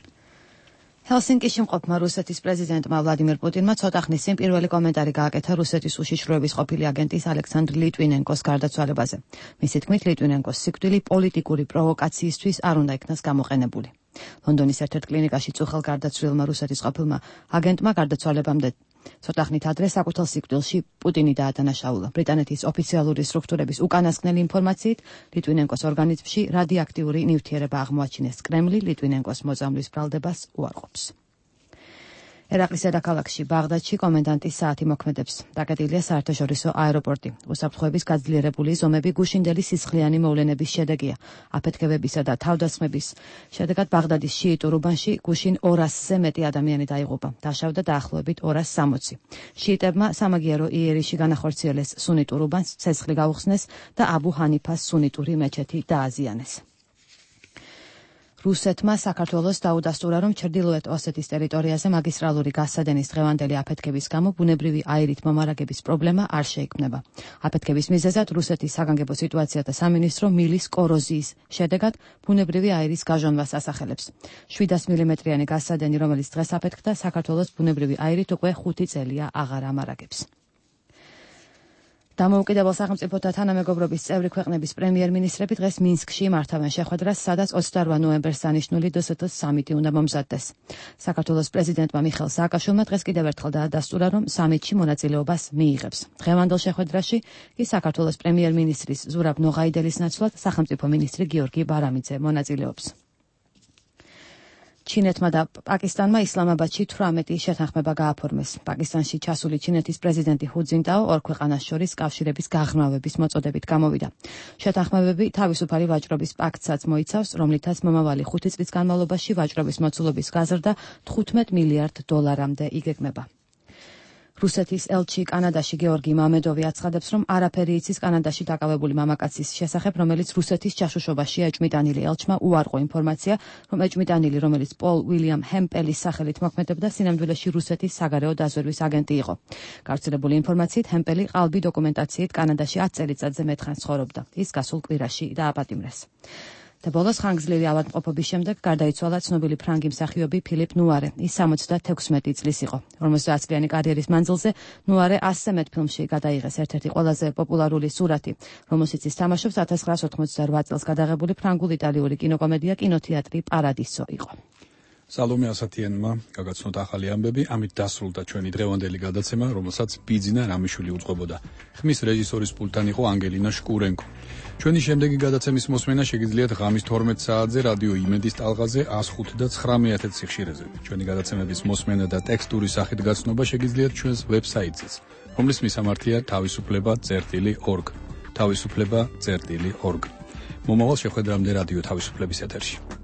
S5: ჰელსინკიში მყოფმა რუსეთის პრეზიდენტმა ვლადიმერ პუტინმა ცოტა ხნის წინ პირველი კომენტარი გააკეთა რუსეთის უშიშროების ყოფილი აგენტის ალექსანდრ ლიტვინენკოს გარდაცვალებაზე. მისი თქმით, ლიტვინენკოს სიკვდილი პოლიტიკური პროვოკაციისთვის არ უნდა იქნას გამოყენებული. ლონდონის ერთ-ერთ კლინიკაში წუხელ გარდაცვლილმა რუსეთის ყოფილმა აგენტმა გარდაცვალებამდე ცოტა ხნით ადრე საკუთარ სიკვდილში პუტინი დაადანაშაულა. ბრიტანეთის ოფიციალური სტრუქტურების უკანასკნელი ინფორმაციით, ლიტვინენკოს ორგანიზმში რადიოაქტიური ნივთიერება აღმოაჩინეს. კრემლი ლიტვინენკოს მოწამვლის ბრალდებას უარყოფს. ერაყლის დედაქალაქში ბაღდადში კომენდანტის საათი მოქმედებს. დაკეტილია საერთაშორისო აეროპორტი. უსაფრთხოების გაძლიერებული ზომები გუშინდელი სისხლიანი მოვლენების შედეგია. აფეთქებებისა და თავდასხმების შედეგად ბაღდადის შიიტურ უბანში გუშინ ორასზე მეტი ადამიანი დაიღუპა. დაშავდა დაახლოებით ორასი სამოცი. შიიტებმა სამაგიერო იერიში განახორციელეს სუნიტურ უბანს, ცეცხლი გაუხსნეს და აბუ ჰანიფას სუნიტური მეჩეთი დააზიანეს. რუსეთმა საქართველოს დაუდასტურა, რომ ჩრდილოეთ ოსეთის ტერიტორიაზე მაგისტრალური გასადენის დღევანდელი აფეთქების გამო ბუნებრივი აირით მომარაგების პრობლემა არ შეიქმნება. აფეთქების მიზეზად რუსეთის საგანგებო სიტუაციათა სამინისტრო მილის კოროზიის შედეგად ბუნებრივი აირის გაჟონვას ასახელებს. შვიდას მილიმეტრიანი გასადენი, რომელიც დღეს აფეთქდა, საქართველოს ბუნებრივი აირით უკვე ხუთი წელია აღარ ამარაგებს. დამოუკიდებელ სახელმწიფოთა თანამეგობრობის წევრი ქვეყნების პრემიერ-მინისტრები დღეს მინსკში მართავენ შეხვედრას, სადაც ოცდაოთხ ნოემბერს დანიშნული დსთ სამიტი უნდა მომზადდეს. საქართველოს პრეზიდენტმა მიხეილ სააკაშვილმა დღეს კიდევ ერთხელ დაადასტურა, რომ სამიტში მონაწილეობას მიიღებს. დღევანდელ შეხვედრაში კი საქართველოს პრემიერ-მინისტრის ზურაბ ნოღაიდელის ნაცვლად სახელმწიფო მინისტრი გიორგი ბარამიძე მონაწილეობს. ჩინეთმა და პაკისტანმა ისლამაბადში თვრამეტი შეთანხმება გააფორმეს. პაკისტანში ჩასული ჩინეთის პრეზიდენტი ჰუ ძინტაო ორ ქვეყანას შორის კავშირების გაღრმავების მოწოდებით გამოვიდა. შეთანხმებები თავისუფალი ვაჭრობის პაქტსაც მოიცავს, რომლითაც მომავალი ხუთი წლის განმავლობაში ვაჭრობის მოცულობის გაზრდა თხუთმეტ მილიარდ დოლარამდე იგეგმება. რუსეთის ელჩი კანადაში გეორგი მამედოვი აცხადებს, რომ არაფერი იცის კანადაში დაკავებული მამაკაცის შესახებ, რომელიც რუსეთის ჯაშუშობაშია ეჭვმიტანილი. ელჩმა უარყო ინფორმაცია, რომ ეჭვმიტანილი, რომელიც პოლ უილიამ ჰემპელის სახელით მოქმედებდა, სინამდვილეში რუსეთის საგარეო დაზვერვის აგენტი იყო. გავრცელებული ინფორმაციით, ჰემპელი ყალბი დოკუმენტაციით კანადაში ათ წელიწადზე მეტხანს ცხოვრობდა. ის გასულ კვირაში დააპატიმრეს. და ბოლოს ხანგრძლივი ავადმყოფობის შემდეგ გარდაიცვალა ცნობილი ფრანგი მსახიობი ფილიპ ნუარე. ის სამოცდათექვსმეტი წლის იყო. ორმოცდაათ წლიანი კარიერის მანძილზე ნუარე ასზე მეტ ფილმში გადაიღეს. ერთ-ერთი ყველაზე პოპულარული სურათი, რომელშიც ის თამაშობს, ათას ცხრაასი ოთხმოცდაორ წელს გადაღებული ფრანგულ-იტალიური კინოკომედია კინოთეატრი პარადისო იყო.
S1: სალომე ასათიანმა გაგაცნოთ ახალი ამბები, ამით დასრულდა ჩვენი დღევანდელი გადაცემა, რომელსაც ბიძინა რამიშვილი უწყობოდა. ხმის რეჟისორის პულტთან იყო ანგელინა შკურენკო. ჩვენი შემდეგი გადაცემის მოსმენა შეგიძლიათ ღამის თორმეტ საათზე რადიო იმედის ტალღაზე ას ხუთი და ცხრამეტ სიხშირეზე. ჩვენი გადაცემების მოსმენა და ტექსტური სახით გაცნობა შეგიძლიათ ჩვენს ვებსაიტზეც, რომლის მისამართია თავისუფლება წერტილი ორგ. თავისუფლება წერტილი ორგ. მომავალ შეხვედრამდე რადიო თავისუფლების ეთერში.